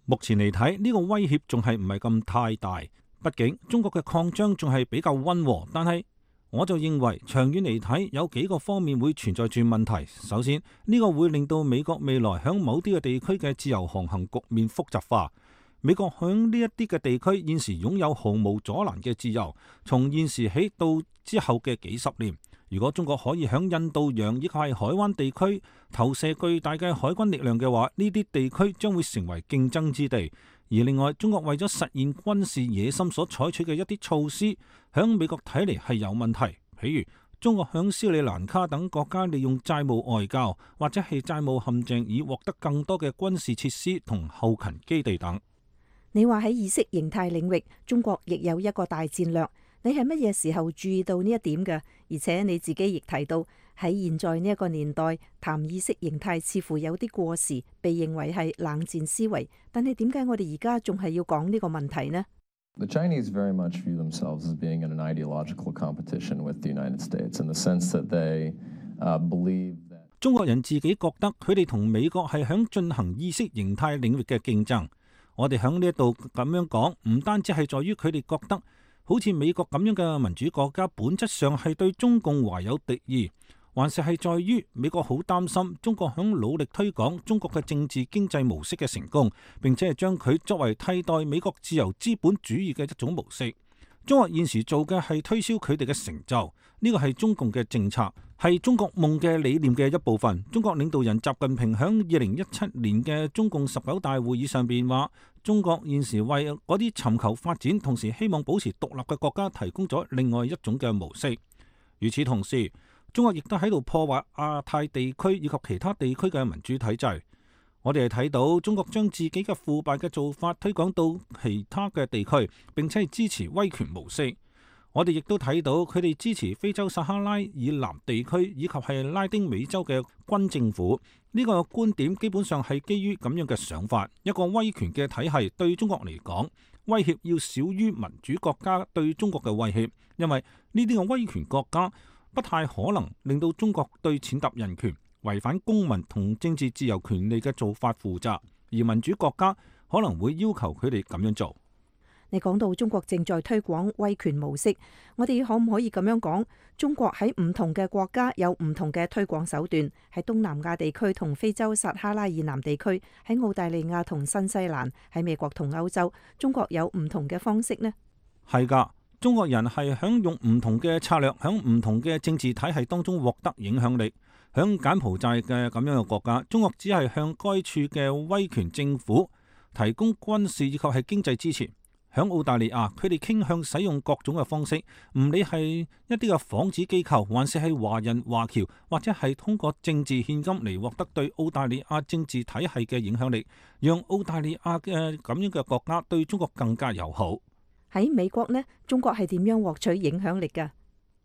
目前嚟睇，呢個威脅仲係唔係咁太大，畢竟中國嘅擴張仲係比較溫和。但係我就認為長遠嚟睇，有幾個方面會存在住問題。首先，呢個會令到美國未來響某啲嘅地區嘅自由航行局面複雜化。美國響呢一啲嘅地區現時擁有毫無阻攔嘅自由，從現時起到之後嘅幾十年。如果中國可以響印度洋以及係海灣地區投射巨大嘅海軍力量嘅話，呢啲地區將會成為競爭之地。而另外，中國為咗實現軍事野心所採取嘅一啲措施，響美國睇嚟係有問題。譬如中國響斯里蘭卡等國家利用債務外交或者係債務陷阱，以獲得更多嘅軍事設施同後勤基地等。你話喺意識形態領域，中國亦有一個大戰略。你係乜嘢時候注意到呢一點嘅？而且你自己亦提到喺現在呢一個年代談意識形態似乎有啲過時，被認為係冷戰思維。但係點解我哋而家仲係要講呢個問題呢？ The Chinese very much view themselves as being in an ideological competition with the United States in the sense that they believe that 中國人自己覺得佢哋同美國係響進行意識形態領域嘅競爭。我哋響呢一度咁樣講，唔單止係在於佢哋覺得好似美國咁樣嘅民主國家本質上係對中共懷有敵意，還是係在於美國好擔心中國響努力推廣中國嘅政治經濟模式嘅成功，並且係將佢作為替代美國自由資本主義嘅一種模式。中國現時做嘅係推銷佢哋嘅成就，呢個係中共嘅政策，係中國夢嘅理念嘅一部分。中國領導人習近平響二零一七年嘅中共十九大會議上邊話，中國現時為嗰啲尋求發展同時希望保持獨立嘅國家提供咗另外一種嘅模式。與此同時，中國亦都喺度破壞亞太地區以及其他地區嘅民主體制。我哋係睇到中國將自己嘅腐敗嘅做法推廣到其他嘅地區，並且係支持威權模式。我哋亦都睇到佢哋支持非洲撒哈拉以南地區以及係拉丁美洲嘅軍政府。呢個觀點基本上係基於咁樣嘅想法。一個威權嘅體系對中國嚟講，威脅要少於民主國家對中國嘅威脅，因為呢啲嘅威權國家不太可能令到中國對踐踏人權、違反公民同政治自由權利嘅做法負責，而民主國家可能會要求佢哋咁樣做。你講到中國正在推廣威權模式，我哋可唔可以咁樣講？中國喺唔同嘅國家有唔同嘅推廣手段，喺東南亞地區同非洲撒哈拉以南地區，喺澳大利亞同新西蘭，喺美國同歐洲，中國有唔同嘅方式呢？係噶，中國人係響用唔同嘅策略，響唔同嘅政治體系當中獲得影響力。響柬埔寨嘅咁樣嘅國家，中國只係向該處嘅威權政府提供軍事以及係經濟支持。響澳大利亞，佢哋傾向使用各種嘅方式，唔理係一啲嘅幌子機構，還是係華人華僑，或者係通過政治獻金嚟獲得對澳大利亞政治體系嘅影響力，讓澳大利亞嘅咁樣嘅國家對中國更加友好。喺美國呢，中國係點樣獲取影響力㗎？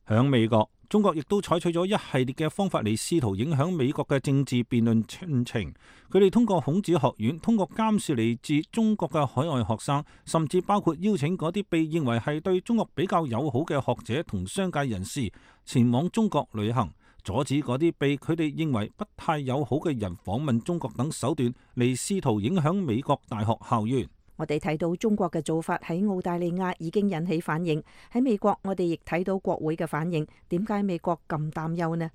響美國，中國亦都採取咗一系列嘅方法嚟試圖影響美國嘅政治辯論進程。佢哋通過孔子學院，通過監視嚟自中國嘅海外學生，甚至包括邀請嗰啲被認為係對中國比較友好嘅學者同商界人士前往中國旅行，阻止嗰啲被佢哋認為不太友好嘅人訪問中國等手段嚟試圖影響美國大學校園。我哋睇到中國嘅做法喺澳大利亞已經引起反應，喺美國我哋亦睇到國會嘅反應。點解美國咁擔憂呢？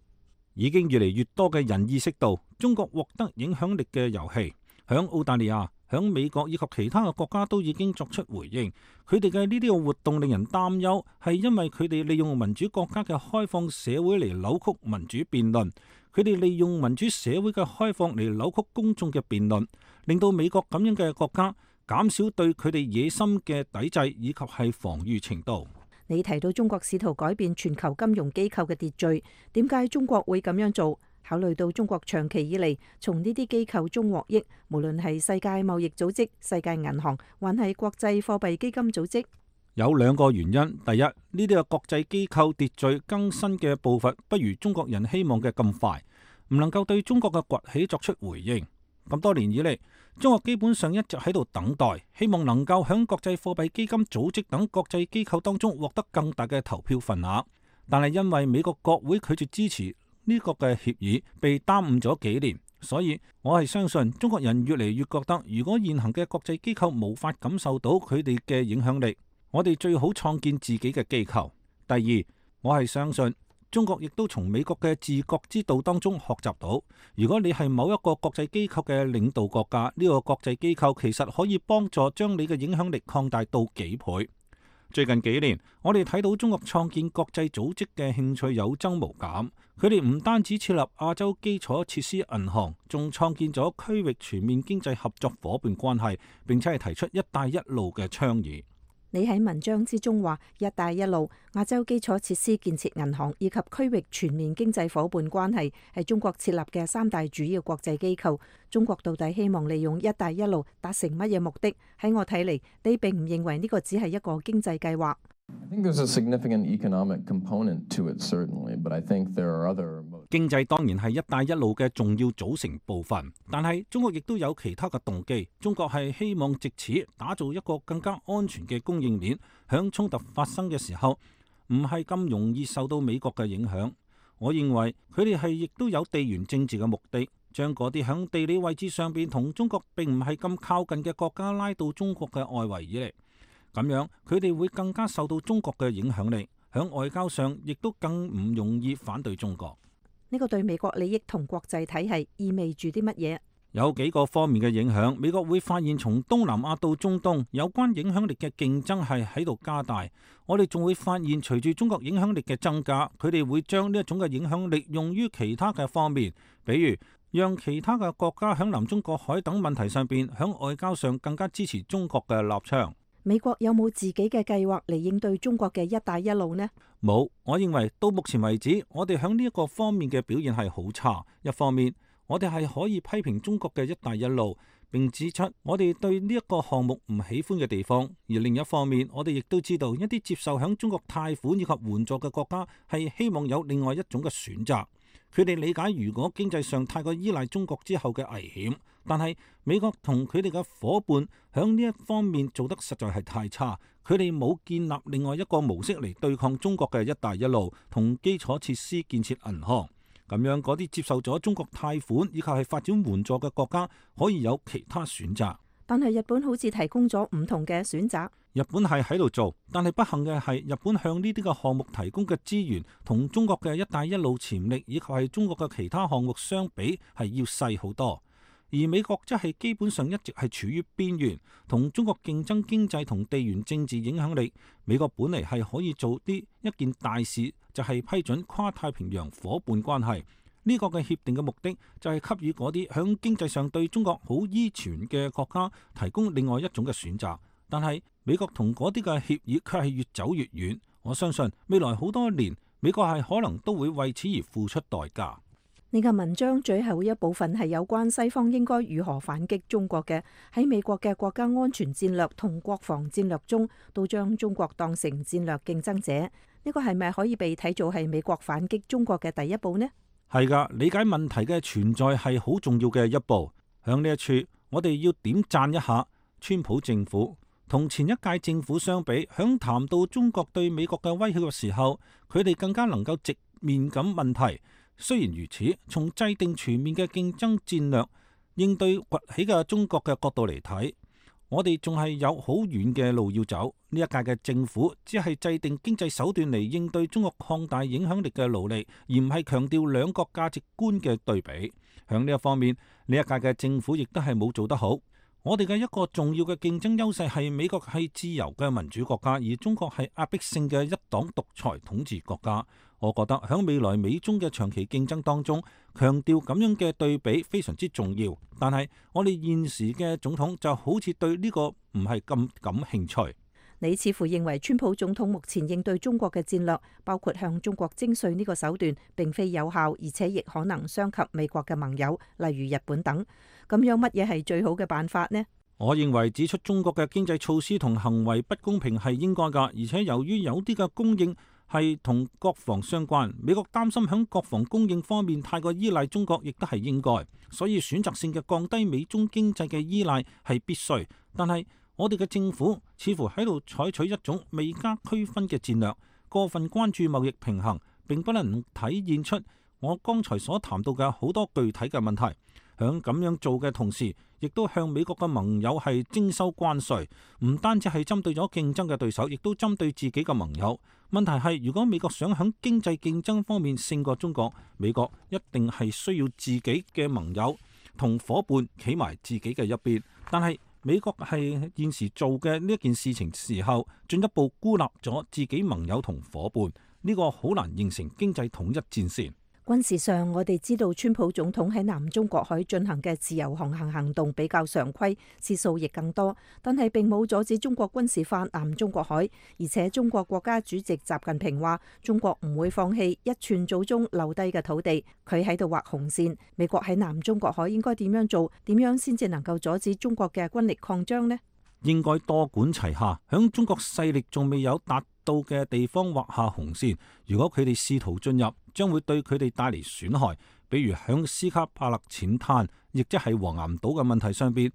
已經越嚟越多嘅人意識到中國獲得影響力嘅遊戲，響澳大利亞、響美國以及其他嘅國家都已經作出回應。佢哋嘅呢啲嘅活動令人擔憂，係因為佢哋利用民主國家嘅開放社會嚟扭曲民主辯論，佢哋利用民主社會嘅開放嚟扭曲公眾嘅辯論，令到美國咁樣嘅國家減少對佢哋野心嘅抵制以及係防禦程度。你提到中國試圖改變全球金融機構嘅秩序，點解中國會咁樣做？考慮到中國長期以嚟從呢啲機構中獲益，無論係世界貿易組織、世界銀行，還係國際貨幣基金組織，有兩個原因。第一，呢啲嘅國際機構秩序更新嘅步伐不如中國人希望嘅咁快，唔能夠對中國嘅崛起作出回應。咁多年以嚟，中國基本上一直喺度等待，希望能夠響國際貨幣基金組織等國際機構當中獲得更大嘅投票份額，但係因為美國國會拒絕支持呢個嘅協議，被耽誤咗幾年，所以我係相信中國人越嚟越覺得，如果現行嘅國際機構無法感受到佢哋嘅影響力，我哋最好創建自己嘅機構。第二，我係相信中國亦都從美國嘅治國之道當中學習到，如果你係某一個國際機構嘅領導國家，呢個國際機構其實可以幫助將你嘅影響力擴大到幾倍。最近幾年，我哋睇到中國創建國際組織嘅興趣有增無減。佢哋唔單止設立亞洲基礎設施銀行，仲創建咗區域全面經濟合作夥伴關係，並且係提出一帶一路嘅倡議。你喺文章之中話，一帶一路、亞洲基礎設施建設銀行以及區域全面經濟夥伴關係係中國設立嘅三大主要國際機構。中國到底希望利用一帶一路達成乜嘢目的？喺我睇嚟，你並唔認為呢個只係一個經濟計劃。I think there's a significant economic component to it, certainly, but I think there are other... 經濟當然係一帶一路嘅重要組成部分，但係中國亦都有其他嘅動機。中國係希望藉此打造一個更加安全嘅供應鏈，響衝突發生嘅時候，唔係咁容易受到美國嘅影響。我認為佢哋係亦都有地緣政治嘅目的，將嗰啲響地理位置上邊同中國並唔係咁靠近嘅國家拉到中國嘅外圍以嚟。咁樣佢哋會更加受到中國嘅影響力，響外交上亦都更唔容易反對中國。呢個對美國利益同國際體系意味住啲乜嘢？有幾個方面嘅影響。美國會發現從東南亞到中東有關影響力嘅競爭係喺度加大。我哋仲會發現隨住中國影響力嘅增加，佢哋會將呢一種嘅影響力用於其他嘅方面，比如讓其他嘅國家響南中國海等問題上邊響外交上更加支持中國嘅立場。美國有冇自己嘅計劃嚟應對中國嘅一帶一路呢？冇，我認為到目前為止，我哋響呢一個方面嘅表現係好差。一方面，我哋係可以批評中國嘅一帶一路，並指出我哋對呢一個項目唔喜歡嘅地方；而另一方面，我哋亦都知道一啲接受響中國貸款以及援助嘅國家係希望有另外一種嘅選擇。佢哋理解如果經濟上太過依賴中國之後嘅危險，但係美國同佢哋嘅夥伴響呢一方面做得實在係太差，佢哋冇建立另外一個模式嚟對抗中國嘅一帶一路同基礎設施建設銀行。咁樣嗰啲接受咗中國貸款以及係發展援助嘅國家可以有其他選擇。但係日本好似提供咗唔同嘅選擇。日本係喺度做，但係不幸嘅係日本向呢啲嘅項目提供嘅資源同中國嘅一帶一路潛力以及係中國嘅其他項目相比係要細好多。而美國則係基本上一直係處於邊緣，同中國競爭經濟同地緣政治影響力。美國本嚟係可以做啲一件大事，就係批准跨太平洋夥伴關係。呢個嘅協定嘅目的就係給予嗰啲響經濟上對中國好依存嘅國家提供另外一種嘅選擇。但係美國同嗰啲嘅協議卻係越走越遠。我相信未來好多年，美國係可能都會為此而付出代價。呢個文章最後一部分係有關西方應該如何反擊中國嘅。喺美國嘅國家安全戰略同國防戰略中，都將中國當成戰略競爭者。呢個係咪可以被睇做係美國反擊中國嘅第一步呢？係噶，理解問題嘅存在係好重要嘅一步。響呢一處，我哋要點讚一下川普政府。同前一屆政府相比，響談到中國對美國嘅威脅嘅時候，佢哋更加能夠直面咁問題。雖然如此，從制定全面嘅競爭戰略應對崛起嘅中國嘅角度嚟睇，我哋仲係有好遠嘅路要走。呢一屆嘅政府只係制定經濟手段嚟應對中國擴大影響力嘅努力，而唔係強調兩國價值觀嘅對比。響呢一方面，呢一屆嘅政府亦都係冇做得好。我哋嘅一個重要嘅競爭優勢係美國係自由嘅民主國家，而中國係壓迫性嘅一黨獨裁統治國家。我覺得喺未來美中嘅長期競爭當中，強調咁樣嘅對比非常之重要。但係我哋現時嘅總統就好似對呢個唔係咁感興趣。你似乎認為川普總統目前應對中國嘅戰略，包括向中國徵稅呢個手段，並非有效，而且亦可能傷及美國嘅盟友，例如日本等。咁樣乜嘢係最好嘅辦法呢？我認為指出中國嘅經濟措施同行為不公平係應該㗎，而且由於有啲嘅供應係同國防相關，美國擔心響國防供應方面太過依賴中國，亦都係應該，所以選擇性嘅降低美中經濟嘅依賴係必須。但係我哋嘅政府似乎喺度採取一種未加區分嘅戰略，過分關注貿易平衡，並不能體現出我剛才所談到嘅好多具體嘅問題。響咁樣做嘅同時，亦都向美國嘅盟友係徵收關稅，唔單止係針對咗競爭嘅對手，亦都針對自己嘅盟友。問題係，如果美國想響經濟競爭方面勝過中國，美國一定係需要自己嘅盟友同夥伴企埋自己嘅一邊。但係美國係現時做嘅呢一件事情時候，進一步孤立咗自己盟友同夥伴，呢個好難形成經濟統一戰線。軍事上，我哋知道川普總統喺南中國海進行嘅自由航行行動比較常規，次數亦更多，但係並冇阻止中國軍事化南中國海。而且中國國家主席習近平話，中國唔會放棄一寸祖宗留低嘅土地。佢喺度畫紅線。美國喺南中國海應該點樣做？點樣先至能夠阻止中國嘅軍力擴張呢？應該多管齊下，響中國勢力仲未有達到嘅地方畫下紅線。如果佢哋試圖進入，將會對佢哋帶嚟損害。比如響斯卡帕勒淺灘，亦即係黃岩島嘅問題上邊，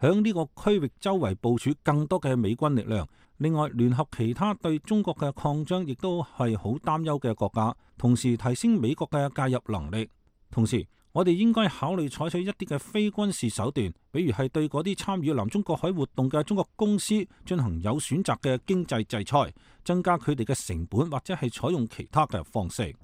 響呢個區域周圍部署更多嘅美軍力量。另外，聯合其他對中國嘅擴張亦都係好擔憂嘅國家，同時提升美國嘅介入能力。同時，我哋應該考慮採取一啲嘅非軍事手段，比如係對嗰啲參與南中國海活動嘅中國公司進行有選擇嘅經濟制裁，增加佢哋嘅成本，或者係採用其他嘅方式。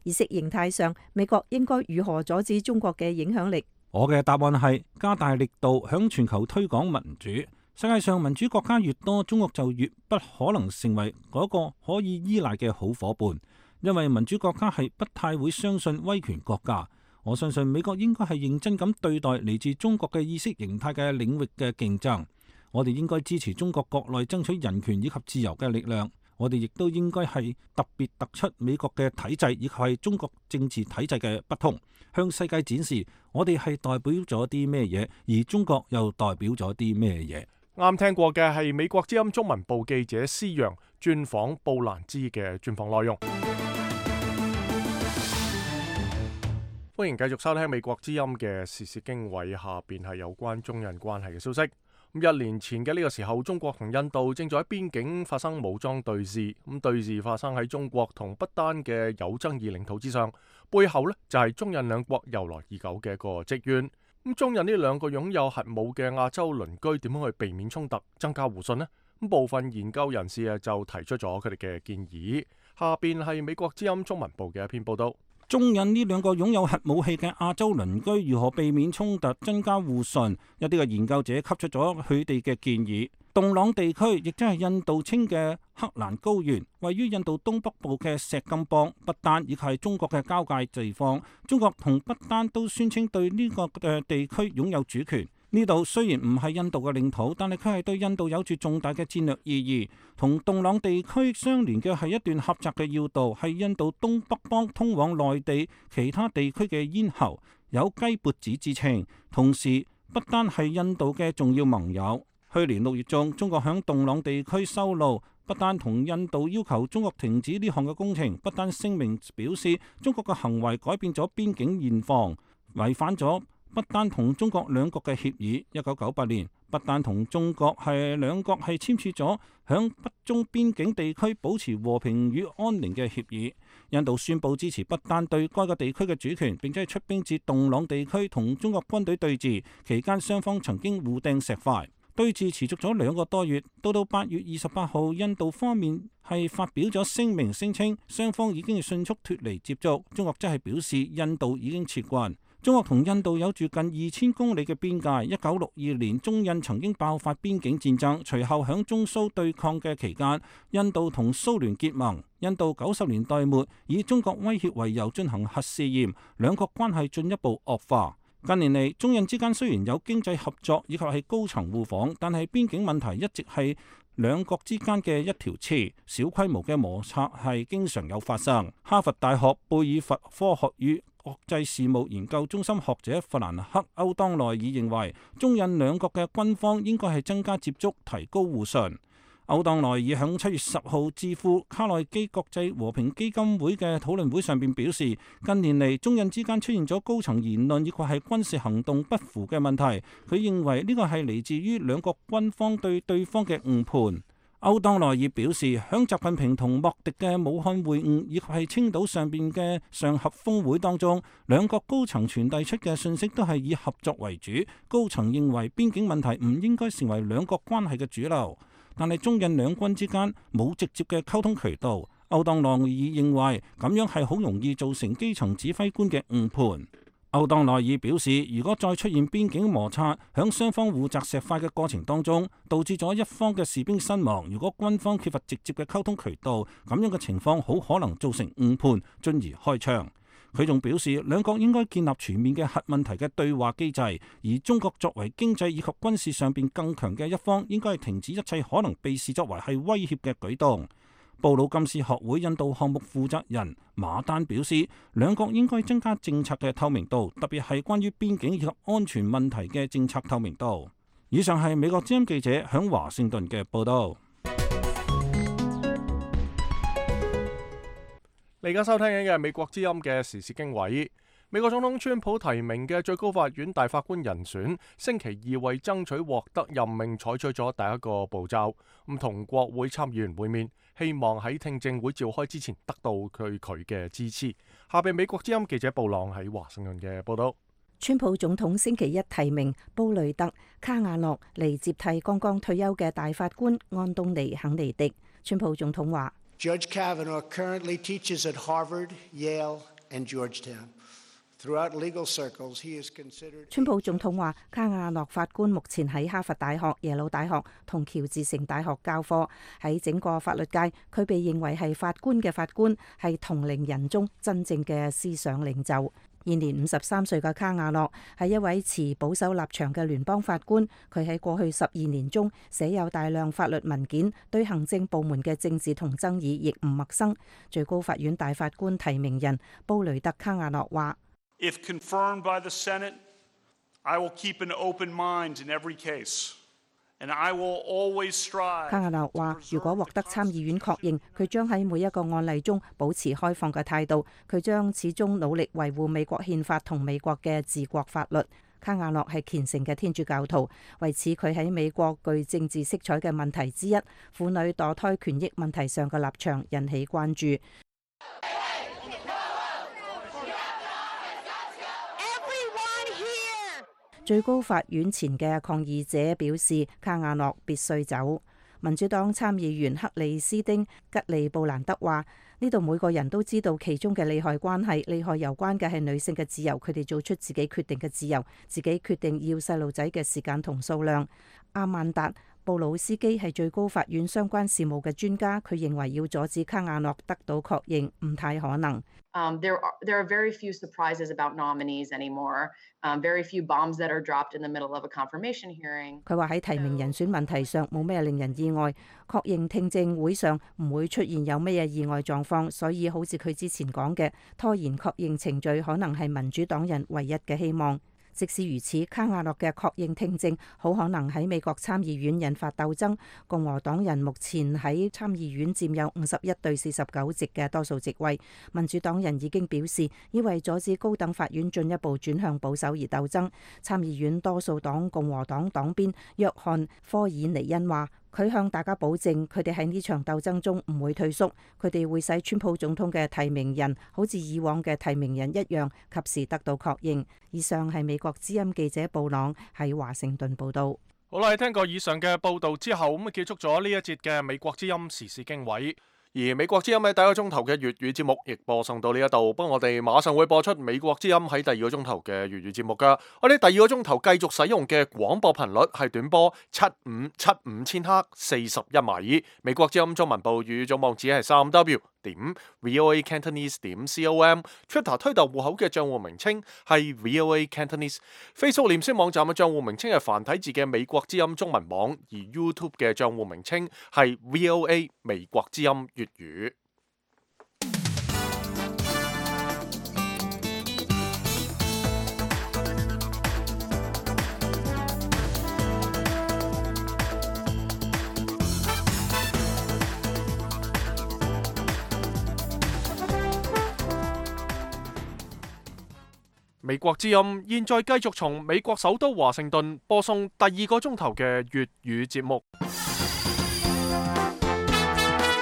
意識形態上，美國應該如何阻止中國嘅影響力？我嘅答案係加大力度向全球推廣民主。世界上民主國家越多，中國就越不可能成為嗰個可以依賴嘅好夥伴，因為民主國家係不太會相信威權國家。我相信美國應該係認真咁對待嚟自中國嘅意識形態嘅領域嘅競爭。我哋應該支持中國國內爭取人權以及自由嘅力量。我哋亦都應該係特別突出美國嘅體制以及係中國政治體制嘅不同，向世界展示我哋係代表咗啲咩嘢，而中國又代表咗啲咩嘢。啱聽過嘅係美國之音中文部記者施洋專訪布蘭茲嘅專訪內容。歡迎繼續收聽美國之音嘅時事經緯，下邊係有關中印關係嘅消息。一年前嘅呢個時候，中國同印度正在喺邊境發生武裝對峙。咁對峙發生喺中國同不丹嘅有爭議領土之上，背後呢就係中印兩國由來已久嘅一個積怨。咁中印呢兩個擁有核武嘅亞洲鄰居點樣去避免衝突、增加互信呢？咁部分研究人士啊就提出咗佢哋嘅建議。下邊係美國之音中文部嘅一篇報道。中印呢兩個擁有核武器嘅亞洲鄰居如何避免衝突、增加互信？一啲嘅研究者給出咗佢哋嘅建議。洞朗地區亦即係印度稱嘅克蘭高原，位於印度東北部嘅錫金邦、不丹以及係中國嘅交界地方。中國同不丹都宣稱對呢個嘅地區擁有主權。呢度雖然唔係印度嘅領土，但係佢係對印度有住重大嘅戰略意義。同洞朗地區相連嘅係一段狹窄嘅要道，係印度東北邦通往內地其他地區嘅咽喉，有雞脖子之稱。同時，不丹係印度嘅重要盟友。去年六月中，中國響洞朗地區修路，不丹同印度要求中國停止呢項嘅工程。不丹聲明表示，中國嘅行為改變咗邊境現況，違反咗不丹同中國兩國嘅協議。一九九八年，不丹同中國係兩國係簽署咗響北中邊境地區保持和平與安寧嘅協議。印度宣布支持不丹對該個地區嘅主權，並且出兵至洞朗地區同中國軍隊對峙。期間雙方曾經互掟石塊，對峙持續咗兩個多月。到到八月二十八號，印度方面係發表咗聲明，聲稱雙方已經迅速脫離接觸。中國則係表示印度已經撤軍。中國同印度有住近二千公里嘅邊界。一九六二年，中印曾經爆發邊境戰爭，隨後響中蘇對抗嘅期間，印度同蘇聯結盟。印度九十年代末以中國威脅為由進行核試驗，兩國關係進一步惡化。近年嚟，中印之間雖然有經濟合作以及係高層互訪，但係邊境問題一直係兩國之間嘅一條刺，小規模嘅摩擦係經常有發生。哈佛大學貝爾佛科學與國際事務研究中心學者弗蘭克歐當內爾認為，中印兩國嘅軍方應該係增加接觸，提高互信。歐當內爾響七月十號智庫卡內基國際和平基金會嘅討論會上邊表示，近年嚟中印之間出現咗高層言論以及係軍事行動不符嘅問題。佢認為呢個係嚟自於兩國軍方對對方嘅誤判。歐當內爾表示，響習近平同莫迪嘅武漢會晤以及係青島上邊嘅上合峰會當中，兩國高層傳遞出嘅信息都係以合作為主。高層認為邊境問題唔應該成為兩國關係嘅主流。但係中印兩軍之間冇直接嘅溝通渠道，歐當內爾認為咁樣係好容易造成基層指揮官嘅誤判。歐當內爾表示，如果再出現邊境摩擦，響雙方互擲石塊嘅過程當中，導致咗一方嘅士兵身亡，如果軍方缺乏直接嘅溝通渠道，咁樣嘅情況好可能造成誤判，進而開槍。佢仲表示，兩國應該建立全面嘅核問題嘅對話機制，而中國作為經濟以及軍事上邊更強嘅一方，應該係停止一切可能被視作為係威脅嘅舉動。布魯金斯學會印度項目負責人馬丹表示，兩國應該增加政策嘅透明度，特別係關於邊境以及安全問題嘅政策透明度。以上係美國之音記者響華盛頓嘅報道。你而家收聽緊嘅係美國之音嘅時事經緯。美國總統川普提名嘅最高法院大法官人選，星期二為爭取獲得任命採取咗第一個步驟，咁同國會參議員會面，希望喺聽證會召開之前得到佢佢嘅支持。下邊美國之音記者布朗喺華盛頓嘅報道。川普總統星期一提名布雷特卡瓦諾嚟接替剛剛退休嘅大法官安東尼肯尼迪。川普總統話Judge Kavanaugh currently teaches at Harvard, Yale, and Georgetown. Throughout legal circles, he is considered. 川普總統話，卡瓦諾法官目前喺哈佛大學、耶魯大學同喬治城大學教課。喺整個法律界，佢被認為係法官嘅法官，係同齡人中真正嘅思想領袖。現年五十三歲嘅卡瓦諾係一位持保守立場嘅聯邦法官，佢喺過去十二年中寫有大量法律文件，對行政部門嘅政治同爭議亦唔陌生。最高法院大法官提名人布雷特卡瓦諾話：If confirmed by the Senate, I will keep an open mind in every case. And I will always strive. 卡瓦諾話：如果獲得參議院確認，佢將喺每一個案例中保持開放嘅態度，佢將始終努力維護美國憲法同美國嘅治國法律。卡瓦諾係虔誠嘅天主教徒，為此佢喺美國具政治色彩嘅問題之一——婦女墮胎權益問題上嘅立場引起關注。最高法院前嘅抗議者表示，卡瓦諾必須走。民主黨參議員克里斯丁吉利布蘭德話：呢度每個人都知道其中嘅利害關係，利害有關嘅係女性嘅自由，佢哋做出自己決定嘅自由，自己決定要細路仔嘅時間同數量。阿曼達布魯斯基係最高法院相關事務嘅專家，佢認為要阻止卡瓦諾得到確認唔太可能。Um, there are there are very few surprises about nominees anymore. Um, very few bombs that are dropped in the middle of a confirmation hearing. 佢話喺提名人選問題上冇咩令人意外，確認聽證會上唔會出現有咩意外狀況，所以好似佢之前講嘅，拖延確認程序可能係民主黨人唯一嘅希望。即使如此，卡瓦諾嘅確認聽證好可能喺美國參議院引發鬥爭。共和黨人目前喺參議院佔有五十一對四十九席嘅多數席位，民主黨人已經表示要為阻止高等法院進一步轉向保守而鬥爭。參議院多數黨共和黨黨鞭約翰科爾尼恩話：佢向大家保證，佢哋喺呢場鬥爭中唔會退縮，佢哋會使川普總統嘅提名人好似以往嘅提名人一樣，及時得到確認。以上係美國之音記者布朗喺華盛頓報道。好啦，聽過以上嘅報道之後，咁啊結束咗呢一節嘅美國之音時事經緯。而美國之音喺第一個鐘頭嘅粵語節目亦播送到呢一度，不過我哋馬上會播出美國之音喺第二個鐘頭嘅粵語節目噶。我哋第二個鐘頭繼續使用嘅廣播頻率係短波七五七五千赫四十一米。美國之音中文部語總網址係三 w 點 voa cantonese 點 com。Twitter 推特戶口嘅賬戶名稱係 voa cantonese。Facebook 臉書網站嘅賬戶名稱係繁體字嘅美國之音中文網，而 YouTube 嘅賬戶名稱係 voa 美國之音粵語。美國之音現在繼續從美國首都華盛頓播送第二個鐘頭嘅粵語節目。